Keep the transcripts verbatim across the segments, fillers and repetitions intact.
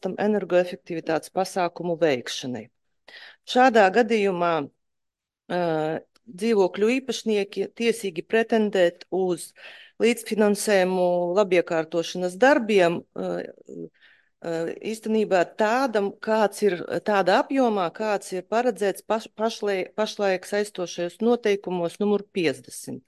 atbalstam energoefektivitātes pasākumu veikšanai. Šādā gadījumā uh, dzīvokļu īpašnieki tiesīgi pretendēt uz līdzfinansējumu labiekārtošanas darbiem, uh, uh, īstenībā tādam, kāds ir tāda apjomā, kāds ir paredzēts paš, pašlaik, pašlaik saistošajos noteikumos numur piecdesmit.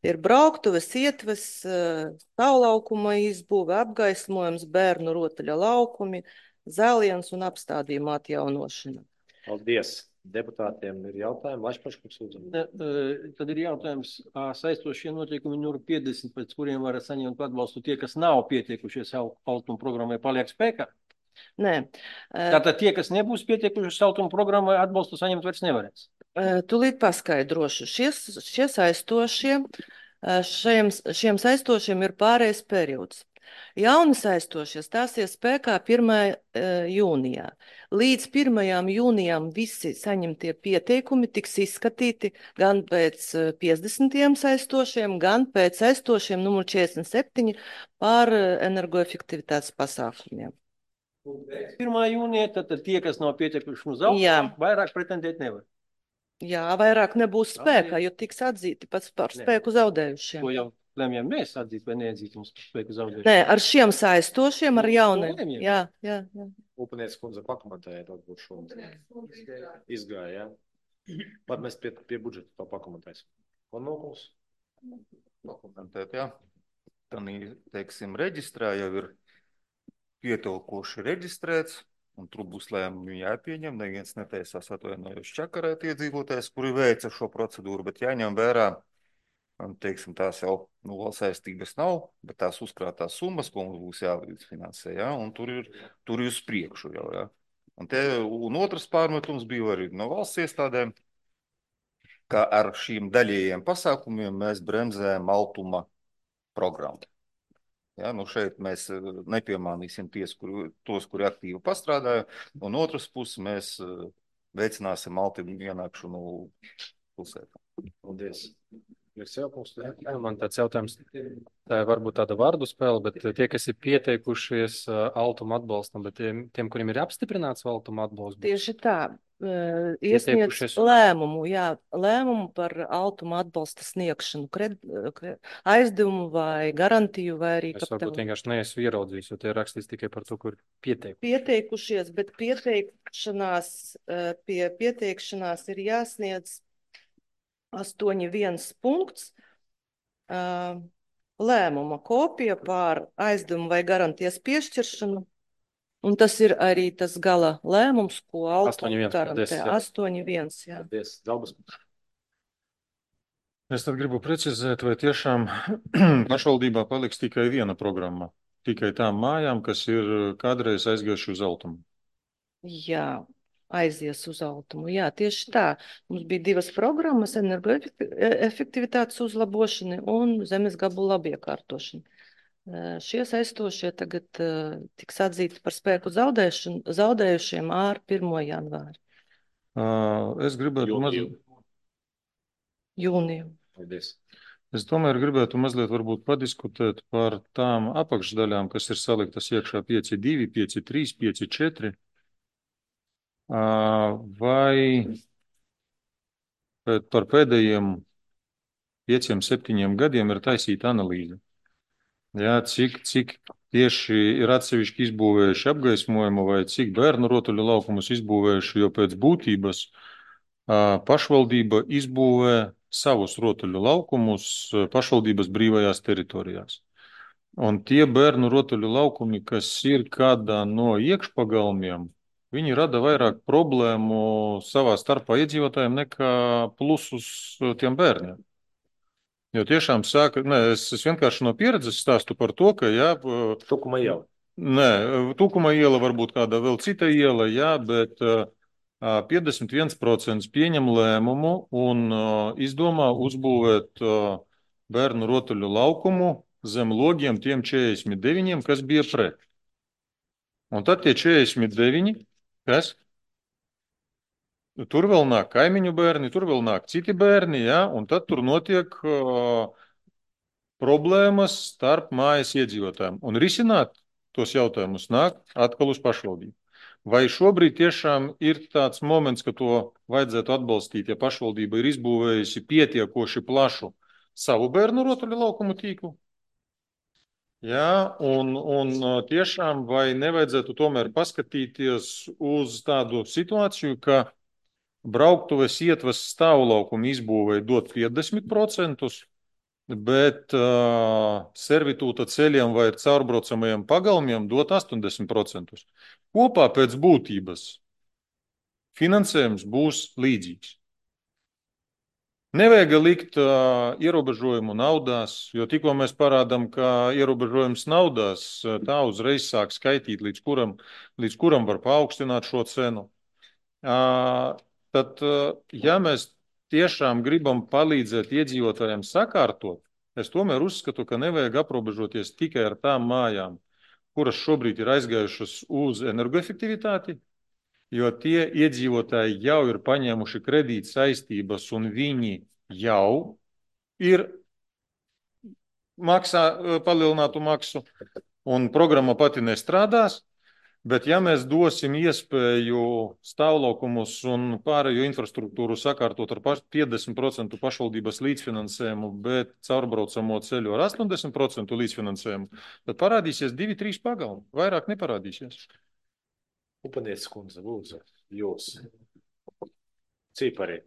Ir brauktuves, ietves, stāvlaukuma izbūve, apgaismojums, bērnu rotaļa laukumi, zāliens un apstādījumu atjaunošana. Paldies! Deputātiem ir jautājumi, Lašpaškungs lūdzu. Tad ir jautājums, saistošie noteikumi numur piecdesmit, pēc kuriem var saņemt atbalstu tie, kas nav pietiekušies Altuma programmai, paliek spēkā? Nē. Tātad tie, kas nebūs pietiekušies Altuma programmai, atbalstu saņemt vairs nevarēs? Tūlīt paskaidrošu. Šie, šie saistošie, šiem, šiem saistošiem ir pārējais periods. Jauni saistošie stāsies spēkā pirmajā jūnijā. Līdz pirmajām jūnijām visi saņemtie pieteikumi tiks izskatīti gan pēc piecdesmitiem saistošiem, gan pēc saistošiem numur četrdesmit septiņi par energoefektivitātes pasākumiem. pirmā jūnija, tad tie, kas nav pietiekuši uz Altuma, vairāk pretendēt nevar. Jā, vairāk nebūs spēkā, jo tiks atzīti pats par spēku zaudējušiem. To jau lemjam mēs atzīt vai neatzīt mums spēku zaudējušiem. Nē, ar šiem saistošiem, ar jauniem. Jā, jā, jā. Upaniec kundze pakomentēja, varbūt šo izgāja, jā. Pat mēs pie, pie budžeta to pakomentēsim. Un nokums? Pakomentēt, jā. Tanī, teiksim, reģistrā jau ir pietilkoši reģistrēts. Un tur būs lēmumi jāpieņem, neviens netaisās atvainojuši čakarēt iedzīvotājs, kuri veica šo procedūru, bet jāņem vērā, teiksim, tās jau nu, saistības nav, bet tās uzkrātās summas, ko mums būs jālīdzfinansē, ja? Un tur ir, tur ir uz priekšu jau, ja? Un, te, un otrs pārmetums bija arī no valsts iestādēm, ka ar šīm daļējiem pasākumiem mēs bremzējam Altuma programmu. Ja, nu šeit mēs nepiemānīsim ties, kur, tos, kuri aktīvi pastrādāja, un otras puses mēs veicināsim Altuma ienākšanu pilsētā. Paldies. Man tāds jautājums, tā ir varbūt tāda vārdu spēle, bet tie, kas ir pieteikušies Altuma atbalstam, bet tiem, tiem kuriem ir apstiprināts Altuma atbalsts? Tieši tā. Iesniedz lēmumu, jā, lēmumu par Altuma atbalsta sniegšanu, kred, aizdevumu vai garantiju vai arī kapitālu. Es varbūt vienkārši neesmu ieraudzījis, jo tie rakstīts tikai par to, kur pieteikušies. Pieteikušies, bet pieteikšanās, pie pieteikšanās ir jāsniedz astoņi viens punkts, lēmuma kopija par aizdevumu vai garantijas piešķiršanu. Un tas ir arī tas gala lēmums, ko Altuma garantē. astoņi viens, jā. Paldies, Dalbas. Es tad gribu precizēt, vai tiešām pašvaldībā paliks tikai viena programma, tikai tām mājām, kas ir kādreiz aizgājuši uz Altumu. Jā, aizies uz Altumu. Jā, tieši tā. Mums bija divas programmas, energoefektivitātes uzlabošana un zemes gabala labiekārtošana. Šie saistošie tagad uh, tiks atzīti par spēku zaudējušiem ar pirmo janvāri. Uh, es gribētu mazliet... Jūniju. Paldies. Es tomēr gribētu mazliet varbūt padiskutēt par tām apakšdaļām, kas ir saliktas iekšā pieci divi, pieci trīs, pieci četri. Uh, vai par pēdējiem pieciem, septiņiem gadiem ir taisīta analīze? Jā, cik, cik tieši ir atsevišķi izbūvējuši apgaismojumu vai cik bērnu rotaļu laukumus izbūvējuši, jo pēc būtības pašvaldība izbūvē savus rotaļu laukumus pašvaldības brīvajās teritorijās. Un tie bērnu rotaļu laukumi, kas ir kādā no iekšpagalmiem, viņi rada vairāk problēmu savā starpā iedzīvotājiem nekā plusus tiem bērniem. Jo tiešām sāka, ne, es, es vienkārši no pieredzes stāstu par to, ka, jā... Tukuma iela. Nē, Tukuma iela varbūt kāda vēl cita iela, jā, bet uh, piecdesmit viens procents pieņem lēmumu un uh, izdomā uzbūvēt uh, bērnu rotaļu laukumu zem logiem tiem četrdesmit deviņiem, kas bija pret. Un tad tie četrdesmit deviņi, kas? Tur vēl nāk kaimiņu bērni, tur vēl nāk citi bērni, ja? Un tad tur notiek uh, problēmas starp mājas iedzīvotājiem. Un risināt tos jautājumus nāk atkal uz pašvaldību. Vai šobrīd tiešām ir tāds moments, ka to vajadzētu atbalstīt, ja pašvaldība ir izbūvējusi pietiekoši plašu savu bērnu rotaļu laukumu tīklu? Jā, un, un tiešām vai nevajadzētu tomēr paskatīties uz tādu situāciju, ka brauktuves ietvas stāvlaukumu izbūvēja dot piecdesmit procentus, bet uh, servitūta ceļiem vai caurbraucamajiem pagalmiem dot astoņdesmit procentus. Kopā pēc būtības finansējums būs līdzīgs. Nevajag likt uh, ierobežojumu naudās, jo tikko mēs parādām, ka ierobežojums naudās, tā uzreiz sāk skaitīt, līdz kuram, līdz kuram var paaugstināt šo cenu. Uh, tad, uh, ja mēs tiešām gribam palīdzēt iedzīvotājiem sakārtot, es tomēr uzskatu, ka nevajag aprobežoties tikai ar tām mājām, kuras šobrīd ir aizgājušas uz energoefektivitāti, jo tie iedzīvotāji jau ir paņēmuši kredīt saistības un viņi jau ir maksā palielinātu maksu un programma pati nestrādās, bet ja mēs dosim iespēju stāvlaukumus un pārējo infrastruktūru sakārtot ar piecdesmit procentu pašvaldības līdzfinansējumu, bet caurbraucamo ceļu ar astoņdesmit procentu līdzfinansējumu, tad parādīsies divi, trīs pagalmi, vairāk neparādīsies. Upanieces kundze, lūdzu, jūs. Cipari.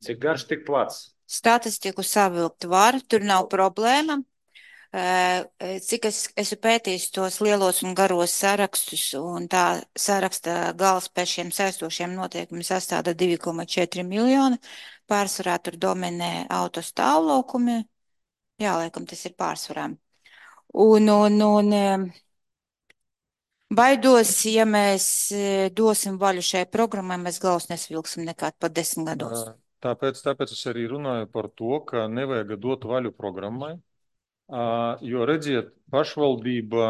Cik garš, tik plats? Statistiku savilkt var, tur nav problēma. Cik es esmu pētījis tos lielos un garos sarakstus, un tā saraksta gals pēc šiem saistošiem noteikumiem sastāda divi koma četri miljoni. Pārsvarā tur dominē autostāvlaukumi. Jā, laikam tas ir pārsvarā. Un, un, un baidos, ja mēs dosim vaļu šai programmai, mēs galus nesvilksim nekād pat desmit gados. Tāpēc, tāpēc es arī runāju par to, ka nevajag dot vaļu programmai, jo redziet, pašvaldība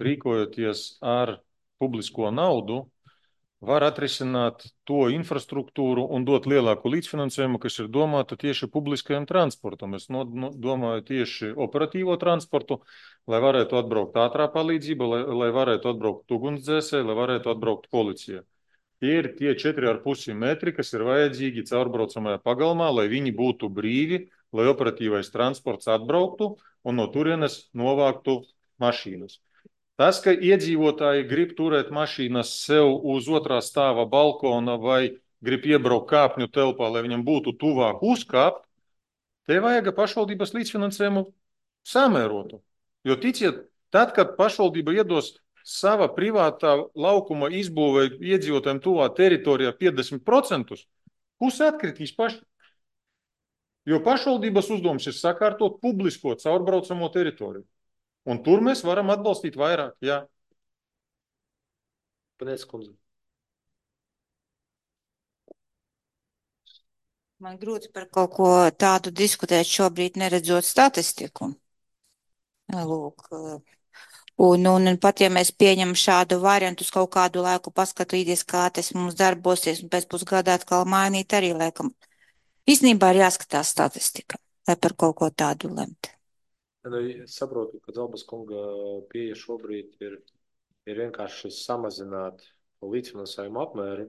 rīkojoties ar publisko naudu, var atrisināt to infrastruktūru un dot lielāku līdzfinansējumu, kas ir domāta tieši publiskajam transportam. Es no, no, domāju tieši operatīvo transportu, lai varētu atbraukt ātrā palīdzība, lai, lai varētu atbraukt ugunsdzēsēji, lai varētu atbraukt policija. Tie ir tie četri ar pusi metri, kas ir vajadzīgi caurbraucamajā pagalmā, lai viņi būtu brīvi, lai operatīvais transports atbrauktu un no turienes novāktu mašīnas. Tas, ka iedzīvotāji grib turēt mašīnas sev uz otrā stāva balkona vai grib iebraukt kāpņu telpā, lai viņam būtu tuvāk uzkāpt, te vajag pašvaldības līdzfinansējumu samērotu. Jo ticiet, tad, kad pašvaldība iedos sava privātā laukuma izbūvē iedzīvotājiem tuvā teritorijā piecdesmit procentus, puse atkritīs paši. Jo pašvaldības uzdevums ir sakārtot publisko caurbraucamo teritoriju. Un tur mēs varam atbalstīt vairāk, jā. Upanieces kundze. Man grūti par kaut ko tādu diskutēt šobrīd, neredzot statistiku. Lūk, un, un, un pat ja mēs pieņemam šādu variantu uz kaut kādu laiku paskatīties, kā tas mums darbosies, un pēc pusgada atkal mainīt arī, laikam. Īstenībā ir jāskatās statistika, lai par kaut ko tādu lemt. Es saprotu, ka Zalbas kunga pieeja šobrīd ir, ir vienkārši samazināt līdzfinansējumu apmēru,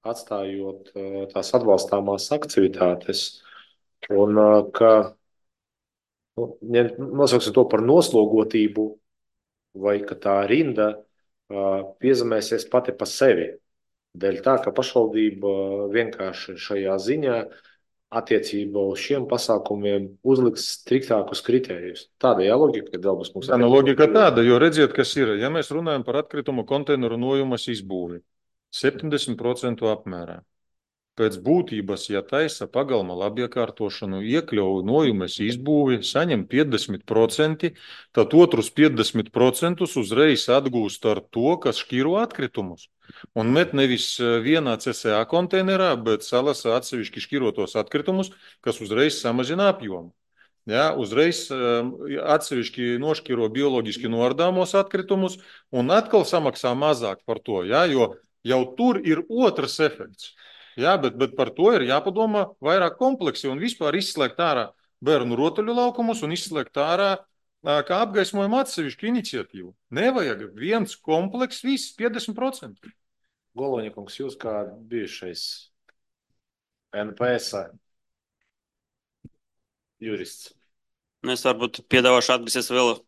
atstājot tās atbalstāmās aktivitātes. Un ka nu, nosauksim to par noslogotību, vai ka tā rinda piezemēsies pati pa sevi. Dēļ tā, ka pašvaldība vienkārši šajā ziņā attiecībā uz šiem pasākumiem uzliks striktākus kritērijus. Tāda jā logika, ka Zalbas kungs. Tā no logika tāda, jo redziet, kas ir. Ja mēs runājam par atkritumu konteineru nojumas izbūvi, septiņdesmit procentu apmērā. Pēc būtības, ja taisa pagalma labiekārtošanu, iekļauj nojumes izbūvi, saņem piecdesmit procenti, tad otrus piecdesmit procentus uzreiz atgūst ar to, kas šķiro atkritumus. Un met nevis vienā C S A konteinerā, bet salasa atsevišķi šķirotos atkritumus, kas uzreiz samazina apjomu. Ja, uzreiz atsevišķi nošķiro bioloģiski noardāmos atkritumus un atkal samaksā mazāk par to, ja, jo jau tur ir otrs efekts. Jā, bet, bet par to ir jāpadomā vairāk kompleksi un vispār izslēgt ārā bērnu rotaļu laukumus un izslēgt ārā kā apgaismojuma atsevišķu iniciatīvu. Nevajag viens kompleks, viss piecdesmit procenti. Goloņakungs, jūs kā bijušais N P S jurists. Nu, es varbūt piedāvāšu atgriezties vēl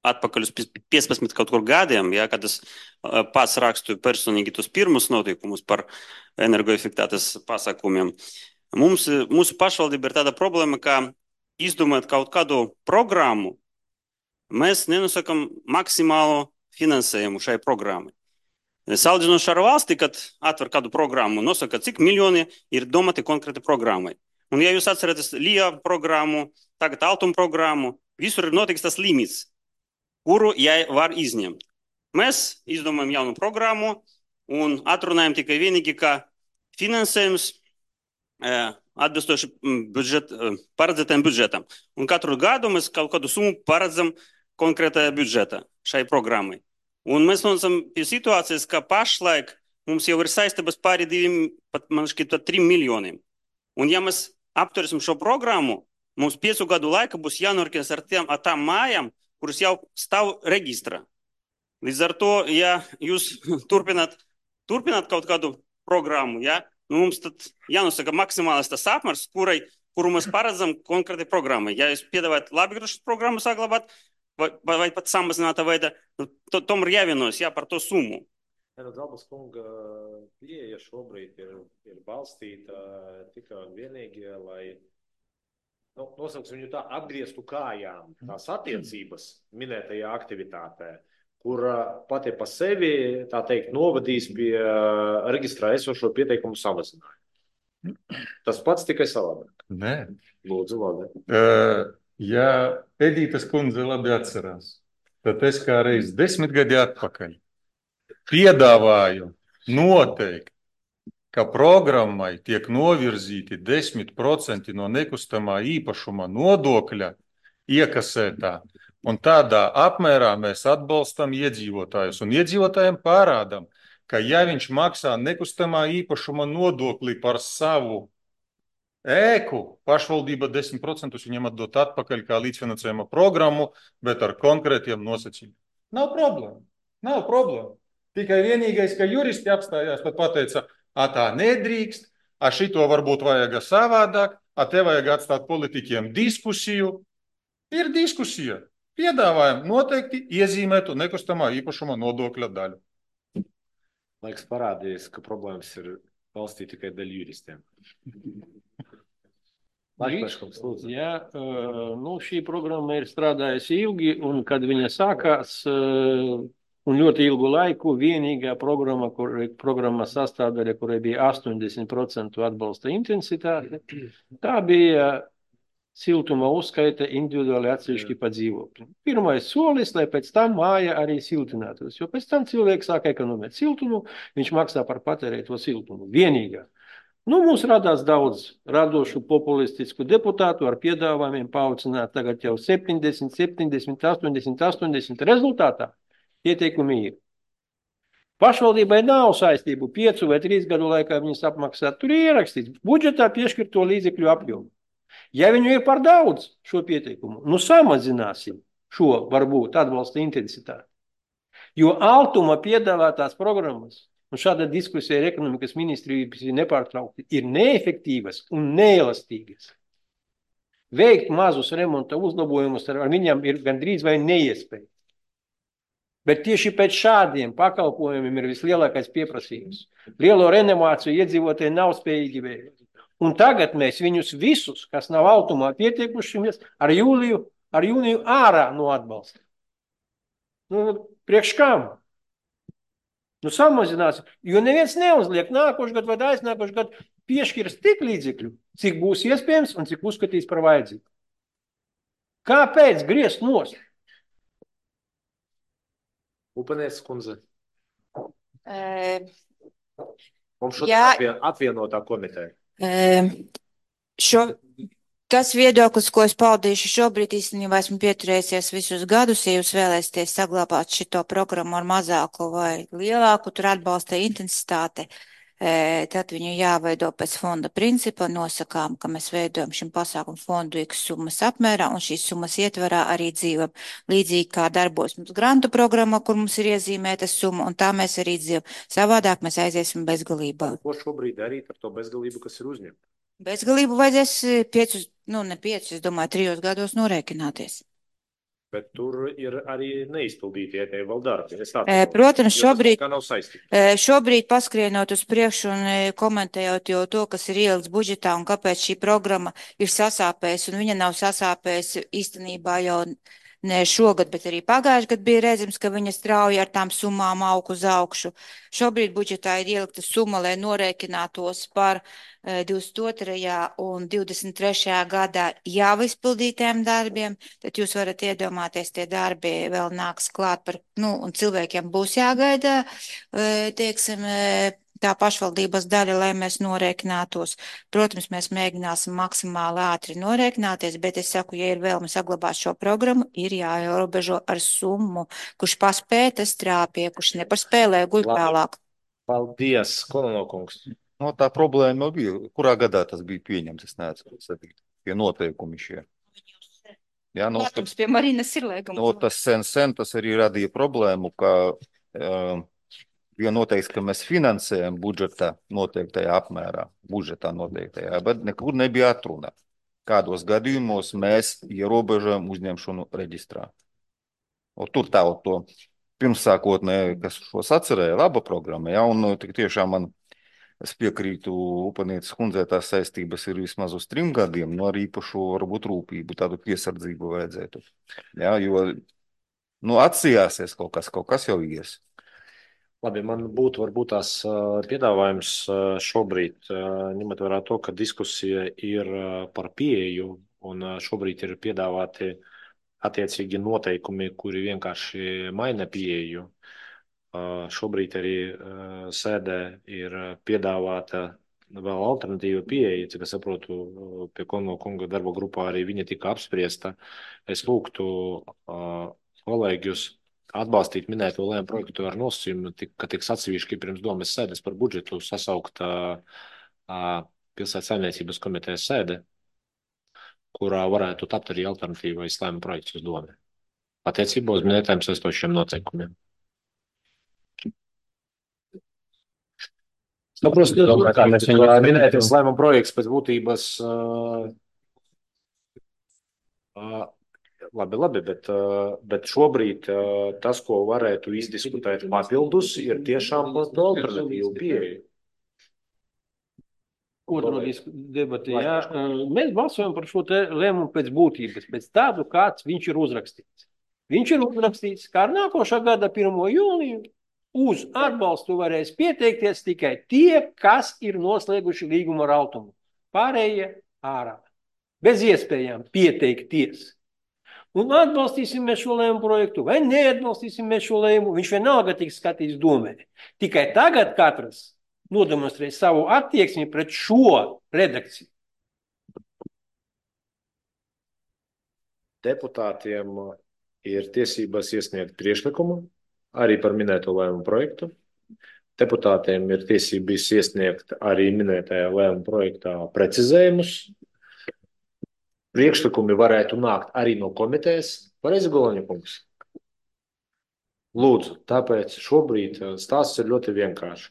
atpakaļ uz piecpadsmit kaut kur gadiem, ja, kad es pats rakstu personīgi tos pirmus notikumus par energoefektivitātes pasākumiem. Mums, mūsu pašvaldība ir tāda problēma, ka izdomājot kaut kādu programmu, mēs nenosakam maksimālo finansējumu šai programmai. Salīdzinoši ar valsti, kad atver kādu programmu, nosaka, cik miljoni ir domāti konkrēti programmai. Un, ja jūs atceraties L I A programmu, tagad Altuma programmu, visur ir notiks tas limits, kuru jai var izņemt. Mēs izdomājam jaunu programmu un atrunājam tikai vienīgi, ka finansējums atbilstoši budžet, paredzētajam budžetam. Un katru gadu mēs kaut kādu summu paredzam konkrētajā budžetā šai programmai. Un mēs nonācam pie situācijas, ka pašlaik mums jau ir saistības pāri diviem, pat man šķiet, pat trim miljoniem. Un ja mēs apturēsim šo programmu, mums piecu gadu laika būs jānorķies ar tiem, ar tām mājām, kuras jau stāv reģistrā. Līdz ar to, ja jūs turpināt, turpināt kaut kādu programmu, ja, nu mums tad jānosaka maksimālis tas apmērs, kurai, kuru mēs paredzam konkrētai programmai. Ja jūs piedāvājat labgriežas programmu saglabāt, vai, vai pat samazinātā veidā, nu, to, tomēr jāvienojas, jā, par to summu. Ja, nu, Zalbas kunga pieeja šobrīd ir, ir balstīta tikai un vienīgi, lai nu, nosauksim viņu tā atgrieztu kājām tās attiecības minētajā aktivitātē, kur pati pa sevi, tā teikt, novadīs pie reģistrā esošo pieteikumu samazinājumu. Tas pats tikai savādāk. Nē. Lūdzu, labi. Uh, ja Edītas kundze labi atcerās, tad es kā reiz desmit gadi atpakaļ piedāvāju noteikti, ka programmai tiek novirzīti desmit procenti no nekustamā īpašuma nodokļa iekasētā, un tādā apmērā mēs atbalstam iedzīvotājus. Un iedzīvotājiem pārādam, ka ja viņš maksā nekustamā īpašuma nodokli par savu ēku, pašvaldība desmit procentus viņam atdot atpakaļ kā līdzfinansējuma programmu, bet ar konkrētiem nosacījumiem. Nav problēma. Nav problēma. Tikai vienīgais, ka juristi apstājās, tad pateica, a tā nedrīkst, a šito varbūt vajag savādāk, a te vajag atstāt politiķiem diskusiju. Ir diskusija. Piedāvājam noteikti iezīmētu nekustamā īpašuma nodokļa daļu. Laiks parādījis, ka problēmas ir valstī tikai daļa juristiem. Laikpaškums, lūdzu. Jā, nu šī programma ir strādājusi ilgi, un kad viņa sākās, un ļoti ilgu laiku vienīgā programma, kur, programma sastāvdaļa, kurai bija astoņdesmit procenti atbalsta intensitāte, tā bija siltuma uzskaita individuāli atsevišķi pa dzīvokļi. Pirmais solis, lai pēc tam māja arī siltinātos, jo pēc tam cilvēks sāk ekonomēt siltumu, viņš maksā par patērēto siltumu. Vienīgā. Nu, mums radās daudz radošu populistisku deputātu ar piedāvājumiem paaucināt tagad jau septiņdesmit, septiņdesmit, astoņdesmit, astoņdesmit rezultātā. Ieteikumi ir. Pašvaldībai nav saistību piecu vai trīs gadu laikā viņas apmaksāt. Tur ir ierakstīts budžetā piešķirto līdzekļu apjomu. Ja viņu ir par daudz šo pieteikumu, nu samazināsim šo varbūt atbalsta intensitāti. Jo Altuma piedāvātās programmas, un šāda diskusija ar ekonomikas ministriju nepārtraukti, ir neefektīvas un neelastīgas. Veikt mazus remonta uzlabojumus ar viņam ir gandrīz vai neiespēja. Bet tieši pēc šādiem pakalpojumiem ir vislielākais pieprasījums. Lielo renovāciju iedzīvotāji nav spējīgi veikt. Un tagad mēs viņus visus, kas nav Altumā pieteikušies, ar jūliju, ar jūniju ārā no atbalsta. Nu, priekš kam? Nu, samazināsim, jo neviens neuzliek nākošu gadu vai aiznākošu gadu piešķirs tik līdzekļu, cik būs iespējams un cik uzskatīs par vajadzīgu. Kāpēc griezt nost? Upenēs kundze. E, Mums šodien jā, atvien, atvienotā komiteja. e, šo, tas viedoklis, ko es paudīšu šobrīd, īstenībā esmu pieturējusies visus gadus, ja jūs vēlēsieties saglabāt šito programmu ar mazāku vai lielāku, tur atbalsta intensitāte. tad viņu jāveido pēc fonda principa, nosakām, ka mēs veidojam šim pasākumu fondu X summas apmērā, un šīs summas ietvarā arī dzīvam. Līdzīgi kā darbos mums grantu programma, kur mums ir iezīmēta summa, un tā mēs arī dzīvam. Savādāk mēs aiziesim bezgalībā. Ko šobrīd darīt ar to bezgalību, kas ir uzņemta? Bezgalību vajadzēs piecus, nu ne piecus, es domāju, trijos gados norēķināties. Bet tur ir arī neizpildīti ietēji vēl darbi. E, protams, šobrīd, kā nav saistīti. e, šobrīd paskrienot uz priekšu un e, komentējot jau to, kas ir ielikts budžetā un kāpēc šī programma ir sasāpējusi, un viņa nav sasāpējusi īstenībā jau ne šogad, bet arī pagājuši gadu bija redzams, ka viņa strauji ar tām summām aug uz augšu. Šobrīd budžetā ir ielikta summa, lai norēķinātos par e, divdesmit otrajā un divdesmit trešajā gadā jau izpildītiem darbiem, tad jūs varat iedomāties, tie darbi vēl nāks klāt par, nu, un cilvēkiem būs jāgaida, e, teiksim, e, tā pašvaldības daļa, lai mēs norēķinātos. Protams, mēs mēģināsim maksimāli ātri norēķināties, bet es saku, ja ir vēlme saglabāt šo programmu, ir jāierobežo ar summu, kurš paspēja, tas trāpie, kurš nepaspēlē, guļ tālāk. Paldies, Kolanokungs. No, tā problēma jau bija. Kurā gadā tas bija pieņemts? Es neatceros, tie noteikumi šie. Jā, no, Protams, pie Marinas ir lēgums. No, tas sen, sen tas arī radīja problēmu, ka uh, jo noteikts, ka mēs finansējam budžetā noteiktajā apmērā, budžetā noteiktajā, bet nekur nebija atruna. Kādos gadījumos mēs ierobežojam uzņemšanu reģistrā. O, tur tā to pirmsākotnē, kas šos atcerēja, laba programma, ja, un tik tiešām man, es piekrītu Upanietes kundzei, tās saistības ir vismaz uz trim gadiem, no arī īpašu varbūt rūpību, tādu piesardzību vajadzētu. Ja, jo, nu, atsījāsies kaut kas, kaut kas jau ies. Labi, man būtu varbūt tās piedāvājums šobrīd, ņemot vērā to, ka diskusija ir par pieeju un šobrīd ir piedāvāti attiecīgi noteikumi, kuri vienkārši maina pieeju. Šobrīd arī sēdē ir piedāvāta vēl alternatīva pieeja, cik es saprotu, pie Kono kunga darba grupā arī viņa tika apspriesta. Es lūgtu kolēģus atbalstīt minēto lēmumu projektu ar nosacījumu, ka tiks atsevišķi pirms domes sēdes par budžetu sasaukt pilsētas saimniecības komitejas sēde, kurā varētu tapt arī alternatīvais lēmumu projekts uz domi. Attiecībā uz minētājiem saistošiem noteikumiem. Saprost, kā mēs viņu minētais lēmumu projekts pēc būtības uh, uh, Labi, labi, bet, bet šobrīd tas, ko varētu izdiskutēt papildus, ir tiešām alternatīva pieeja. Otro debati, jā. Mēs balsojam par šo te lēmumu pēc būtības, pēc tādu, kāds viņš ir uzrakstīts. Viņš ir uzrakstīts, kā ar nākošā gada pirmo jūliju uz atbalstu varēs pieteikties tikai tie, kas ir noslēguši līgumu ar Altumu. Pārējie ārā. Bez iespējām pieteikties. Un atbalstīsim mēs šo lēmumu projektu, vai neatbalstīsim mēs šo lēmumu, viņš vienalga tiks skatīts domē. Tikai tagad katrs nodemonstrē savu attieksmi pret šo redakciju. Deputātiem ir tiesības iesniegt priekšlikumu arī par minēto lēmumu projektu. Deputātiem ir tiesības iesniegt arī minētajā lēmumu projektā precizējumus. Priekšlikumi varētu nākt arī no komitejas. Pareizi, Golaņa kungs? Lūdzu, tāpēc šobrīd stāsts ir ļoti vienkārši.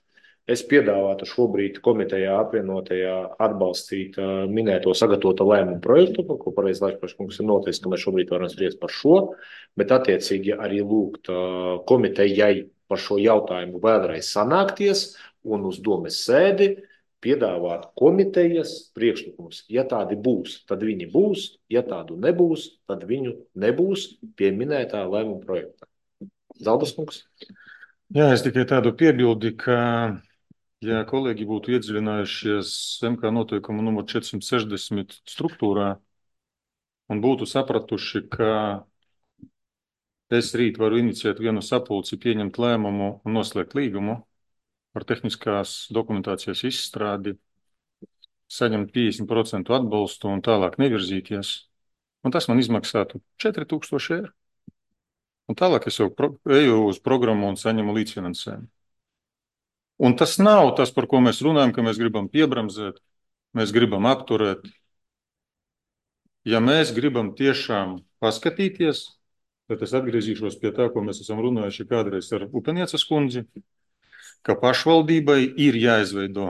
Es piedāvātu šobrīd komitejā apvienotajā atbalstīt minēto sagatavota lēmumu projektu, ko pareizi Laikpašs kungs ir noteicis, ka mēs šobrīd varam spriest par šo, bet attiecīgi arī lūgt komitejai par šo jautājumu vēlreiz sanākties un uz domes sēdi piedāvāt komitejas priekšlikumus. Ja tādi būs, tad viņi būs. Ja tādu nebūs, tad viņu nebūs pie minētā lēmuma projektā. Zaldas kungs? Jā, es tikai tādu piebildi, ka, ja kolēģi būtu iedziļinājušies M K noteikumu numur četrsimt sešdesmit struktūrā un būtu sapratuši, ka es rīt varu iniciēt vienu sapulci, pieņemt lēmumu un noslēgt līgumu par tehniskās dokumentācijas izstrādi, saņemt piecdesmit procentu atbalstu un tālāk nevirzīties. Un tas man izmaksātu četri tūkstoši eiro. Un tālāk es jau pro, eju uz programmu un saņemu līdzfinansējumu. Un tas nav tas, par ko mēs runājam, ka mēs gribam piebremzēt, mēs gribam apturēt. Ja mēs gribam tiešām paskatīties, tad es atgriezīšos pie tā, ko mēs esam runājuši kādreiz ar Upeniecas kundzi, ka pašvaldībai ir jāizveido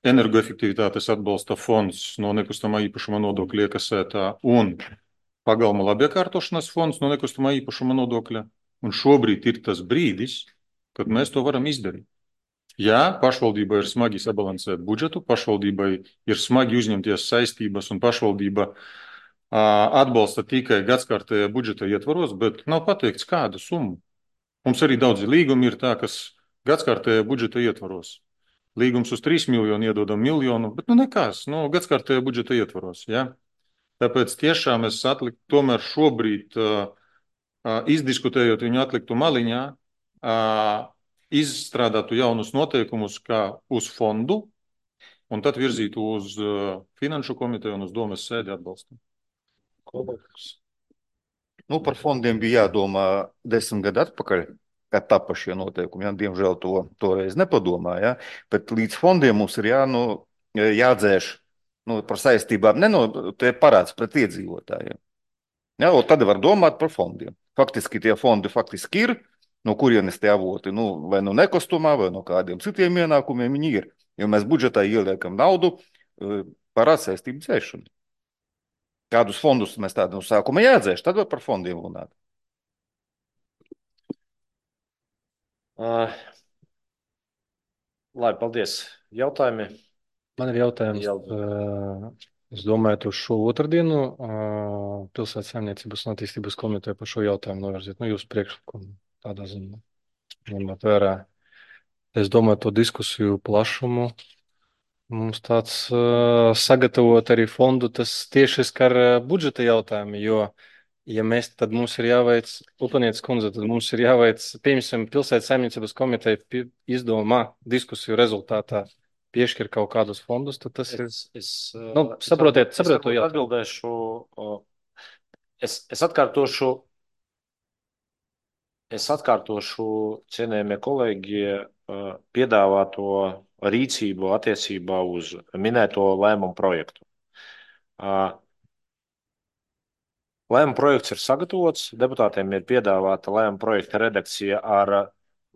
energoefektivitātes atbalsta fonds no nekustamā īpašuma nodokļa iekasētā un pagalma labiekārtošanas fonds no nekustamā īpašuma nodokļa. Un šobrīd ir tas brīdis, kad mēs to varam izdarīt. Jā, pašvaldībai ir smagi sabalansēt budžetu, pašvaldībai ir smagi uzņemties saistības un pašvaldība atbalsta tikai gadskārtējā budžeta ietvaros, bet nav pateikts kādu summu. Mums arī daudzi līgumi ir tā, kas gadskārtējā budžeta ietvaros. Līgums uz trīs miljonu iedodam miljonu, bet nu nekas, nu gadskārtējā budžeta ietvaros, jā. Tāpēc tiešām es atliktu tomēr šobrīd, uh, uh, izdiskutējot viņu atliktu maliņā, uh, izstrādātu jaunus noteikumus kā uz fondu un tad virzītu uz uh, finanšu komiteju un uz domes sēdi atbalstu. Nu, par fondiem bija jādomā desmit gadu atpakaļ, kad tapa šie noteikumi. Ja? Diemžēl to toreiz nepadomāja, ja? Bet līdz fondiem mums ir jā, nu, jādzēš nu, par saistībām, ne no tie parāds pret iedzīvotājiem. Ja? Un tad var domāt par fondiem. Faktiski tie fondi faktiski ir, no kurienes tie avoti, nu, vai no nekostumā, vai no kādiem citiem ienākumiem viņi ir. Jo mēs budžetā ieliekam naudu par atsaistību dzēšanu. Kādus fondus mēs tādu no sākuma jādzēš, tad var par fondiem runāt. Uh, labi, paldies. Jautājumi? Man ir jautājums. Jā. Uh, es domāju, uz šo otrdienu uh, Pilsētas saimniecības un attīstības komiteja par šo jautājumu novirzīt. Nu, jūs priekšlikumu tādā ziņā ņemot vērā. Es domāju, to diskusiju plašumu. Mums tāds uh, sagatavot arī fondu, tas tieši skar budžeta jautājumu, jo, ja mēs, tad mums ir jāveic, Upanietes kundze, tad mums ir jāveic, piemēram, Pilsētas saimniecības komiteja izdomā diskusiju rezultātā piešķir kaut kādus fondus, tad tas ir, es, es, nu, saprotiet, es, saprotiet to es jautājumu. atbildēšu, es, es atkārtošu, es atkārtošu, cienējamie kolēģi, piedāvāto rīcību attiecībā uz minēto lēmumu projektu. Lēmuma projekts ir sagatavots, deputātiem ir piedāvāta lēmuma projekta redakcija ar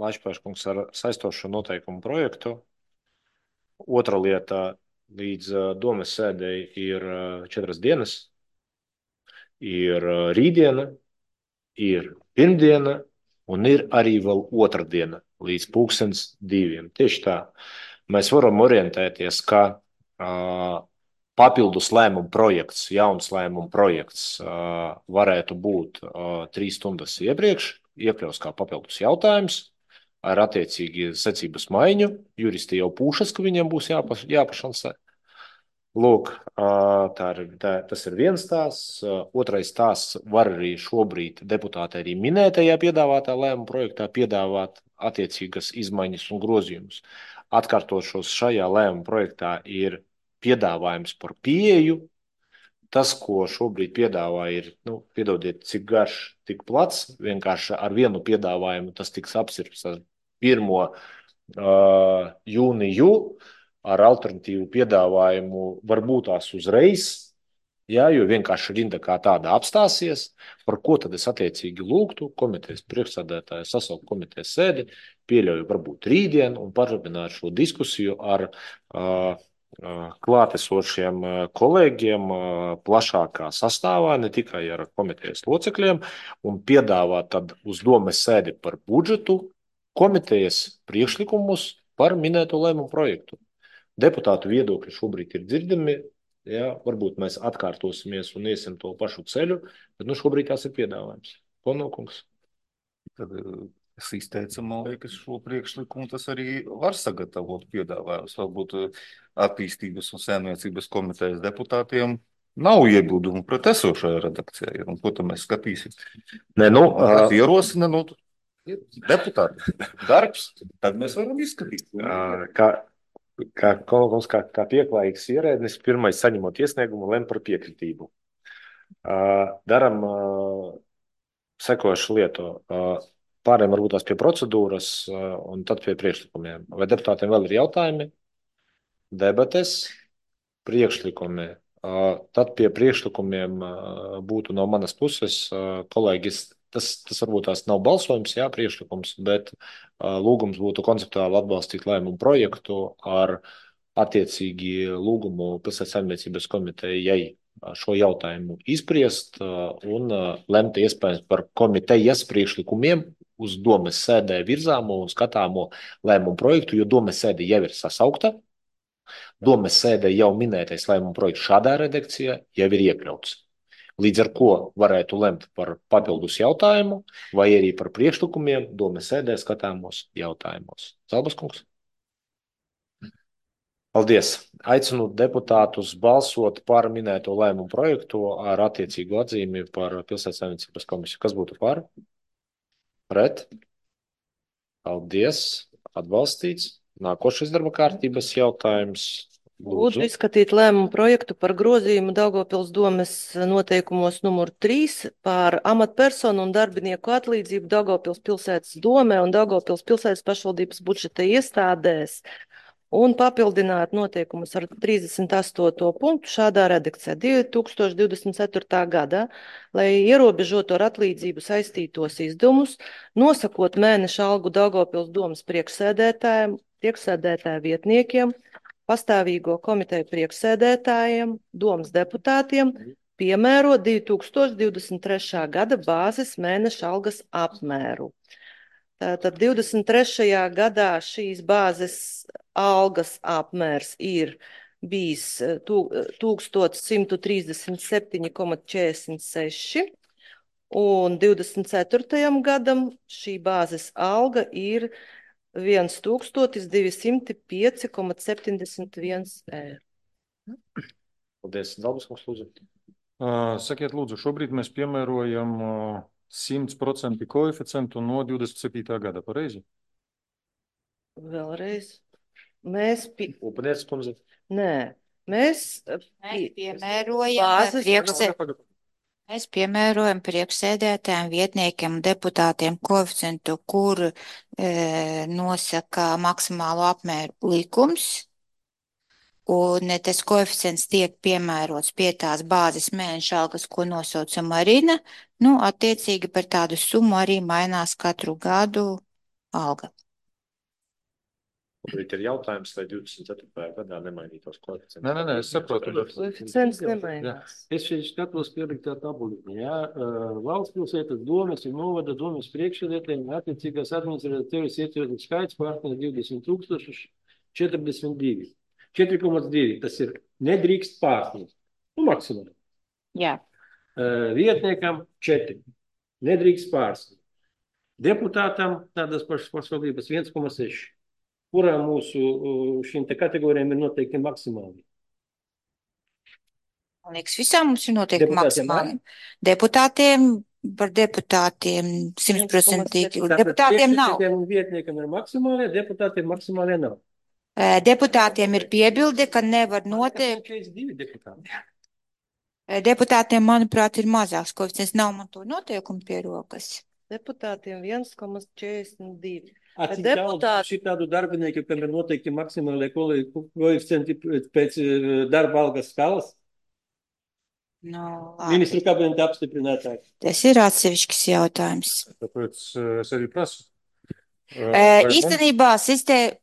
Laišpēškungs ar saistošo noteikumu projektu. Otra lieta, līdz domes sēdēji ir četras dienas, ir rītdiena, ir pirmdiena un ir arī vēl otra diena līdz pulkstens diviem. Tieši tā. Mēs varam orientēties, ka uh, papildus lēmuma projekts, jauns lēmuma projekts uh, varētu būt uh, trīs stundas iepriekš, iekļaus kā papildus jautājums ar attiecīgi secības maiņu. Juristi jau pūšas, ka viņiem būs jāpa, jāpašansē. Lūk, uh, tā ir, tā, tas ir viens stāsts. Uh, otrais stāsts var arī šobrīd deputāti arī minētajā piedāvātā lēmuma projektā piedāvāt attiecīgas izmaiņas un grozījumus. Atkārtošos, šajā lēmuma projektā ir piedāvājums par pieeju. Tas, ko šobrīd piedāvā, ir, nu, piedodiet, cik garš, tik plats. Vienkārši ar vienu piedāvājumu tas tiks apsirps ar pirmo uh, jūniju, ar alternatīvu piedāvājumu varbūt tās uzreiz. Jā, jo vienkārši rinda kā tāda apstāsies, par ko tad es attiecīgi lūgtu komitejas priekšsēdētāju sasaukt komitejas sēdi, pieļauju varbūt rītdien un parunāt šo diskusiju ar uh, klātesošiem kolēģiem uh, plašākā sastāvā, ne tikai ar komitejas locekļiem, un piedāvāt tad uz domes sēdi par budžetu komitejas priekšlikumus par minēto lēmumu projektu. Deputātu viedokļi šobrīd ir dzirdami. Ja, varbūt mēs atkārtosimies un iesim to pašu ceļu, bet nu šobrīd tās ir piedāvājums. Konokungs. Tad es izteicu, man liekas, šo priekšlikumu tas arī var sagatavot piedāvājums. Varbūt attīstības un saimniecības komitejas deputātiem nav iebildumu pret esošajā redakcijā. Un ko tad mēs skatīsim? Nē, nu, uh, ierosina, nu, deputāti darbs, tad mēs varam izskatīt. Uh, kā Kā, kā, kā pieklājīgs ierēdnis, pirmais saņemot iesniegumu, lem par piekritību. Uh, daram uh, sekošu lietu. Uh, pārējiem varbūt tās pie procedūras un tad pie priekšlikumiem. Vai deputātiem vēl ir jautājumi? Debates, priekšlikumi. Tad pie priekšlikumiem būtu no manas puses, kolēģis, tas, tas varbūt tās nav balsojums, jā, priekšlikums, bet lūgums būtu konceptuāli atbalstīt lēmumu projektu ar attiecīgi lūgumu pilsētas saimniecības komitejai šo jautājumu izpriest un lemt iespējams par komitejas priekšlikumiem uz domes sēdē virzāmo un skatāmo lēmumu projektu, jo domes sēde jau ir sasaukta. Domes sēdē jau minētais lēmuma projekts šādā redakcijā jau ir iekļauts. Līdz ar ko varētu lemt par papildus jautājumu vai arī par priekšlikumiem domes sēdē skatāmos jautājumos. Zalbas kungs? Paldies. Aicinu deputātus balsot par minēto lēmumu projektu ar attiecīgu atzīmi par pilsētas saimniecības komisiju. Kas būtu par? Pret? Paldies. Atbalstīts. Nākošais darba kārtības jautājums. Lūdzu izskatīt lēmumu projektu par grozījumu Daugavpils domes noteikumos numur trīs par amatpersonu un darbinieku atlīdzību Daugavpils pilsētas domē un Daugavpils pilsētas pašvaldības budžeta iestādēs un papildināt noteikumus ar trīsdesmit astoto punktu šādā redakcijā divi tūkstoši divdesmit ceturtā gadā, lai ierobežotu ar atlīdzību saistītos izdevumus, nosakot mēneša algu Daugavpils domes priekšsēdētājiem, priekšsēdētāju vietniekiem, pastāvīgo komiteju priekšsēdētājiem, domes deputātiem, piemēro divi tūkstoši divdesmit trešā gada bāzes mēneša algas apmēru. Tātad divdesmit trešajā gadā šīs bāzes algas apmērs ir bijis tūkstoš simt trīsdesmit septiņi komats četrdesmit seši un divdesmit ceturtajam gadam šī bāzes alga ir viens tūkstotis divi simti pieci komats septiņdesmit viens eiro. Paldies, Zalbas kungs, lūdzu. Sakiet, lūdzu, šobrīd mēs piemērojam simt procentu koeficientu no divdesmit septītā gada, pareizi? Vēlreiz. Mēs... Pi... Upaniec, kundze. Nē, mēs... Mēs piemērojam priekšsēdētājiem. Mēs piemērojam priekšsēdētājiem, vietniekiem un deputātiem koeficientu, kur e, nosaka maksimālo apmēru likums. Un tas koeficients tiek piemērots pie tās bāzes mēneša algas, ko nosauca Marina. Nu, attiecīgi par tādu summu arī mainās katru gadu alga. Šobrīd ir jautājums, vai divdesmit ceturtajā gadā nemainītos koeficients. Nē, nē, nē, es saprotu. Koeficients nemainās. Es šeit skatos pieliktā tabuliņā. Jā, valsts pilsētas domes un novada domes priekšsēdētājiem attiecīgās administratīvas iecirkļu skaits pārsniedz divdesmit tūkstoši četrdesmit divi. četri komats divi, tas ir nedrīkst pārsniegt. Nu, maksimāli. Jā. Vietniekam četri. Nedrīkst pārsniegt. Deputātam tādas pašas pašvaldības viens komats seši. Kurā mūsu šīm te kategorijām ir noteikti maksimāli? Man liekas, visām mums ir noteikti maksimāli. Deputātiem, par deputātiem simtprocentīgi. Deputātiem nav. Vietniekam ir maksimālie, deputātiem maksimālie nav. Deputātiem ir piebilde, ka nevar noteikt. Deputātiem, manuprāt, ir mazāks koeficients. Nav man to noteikumu pie rokas. Deputātiem viens komats četrdesmit divi. Cik daudz šitādu darbinieku, kam ir noteikti maksimālie koeficienti pēc darba algas skalas? No, Ministru kabineta apstiprinātāji. Tas ir atsevišķs jautājums. Tāpēc es arī prasu. Īstenībā, sistēma,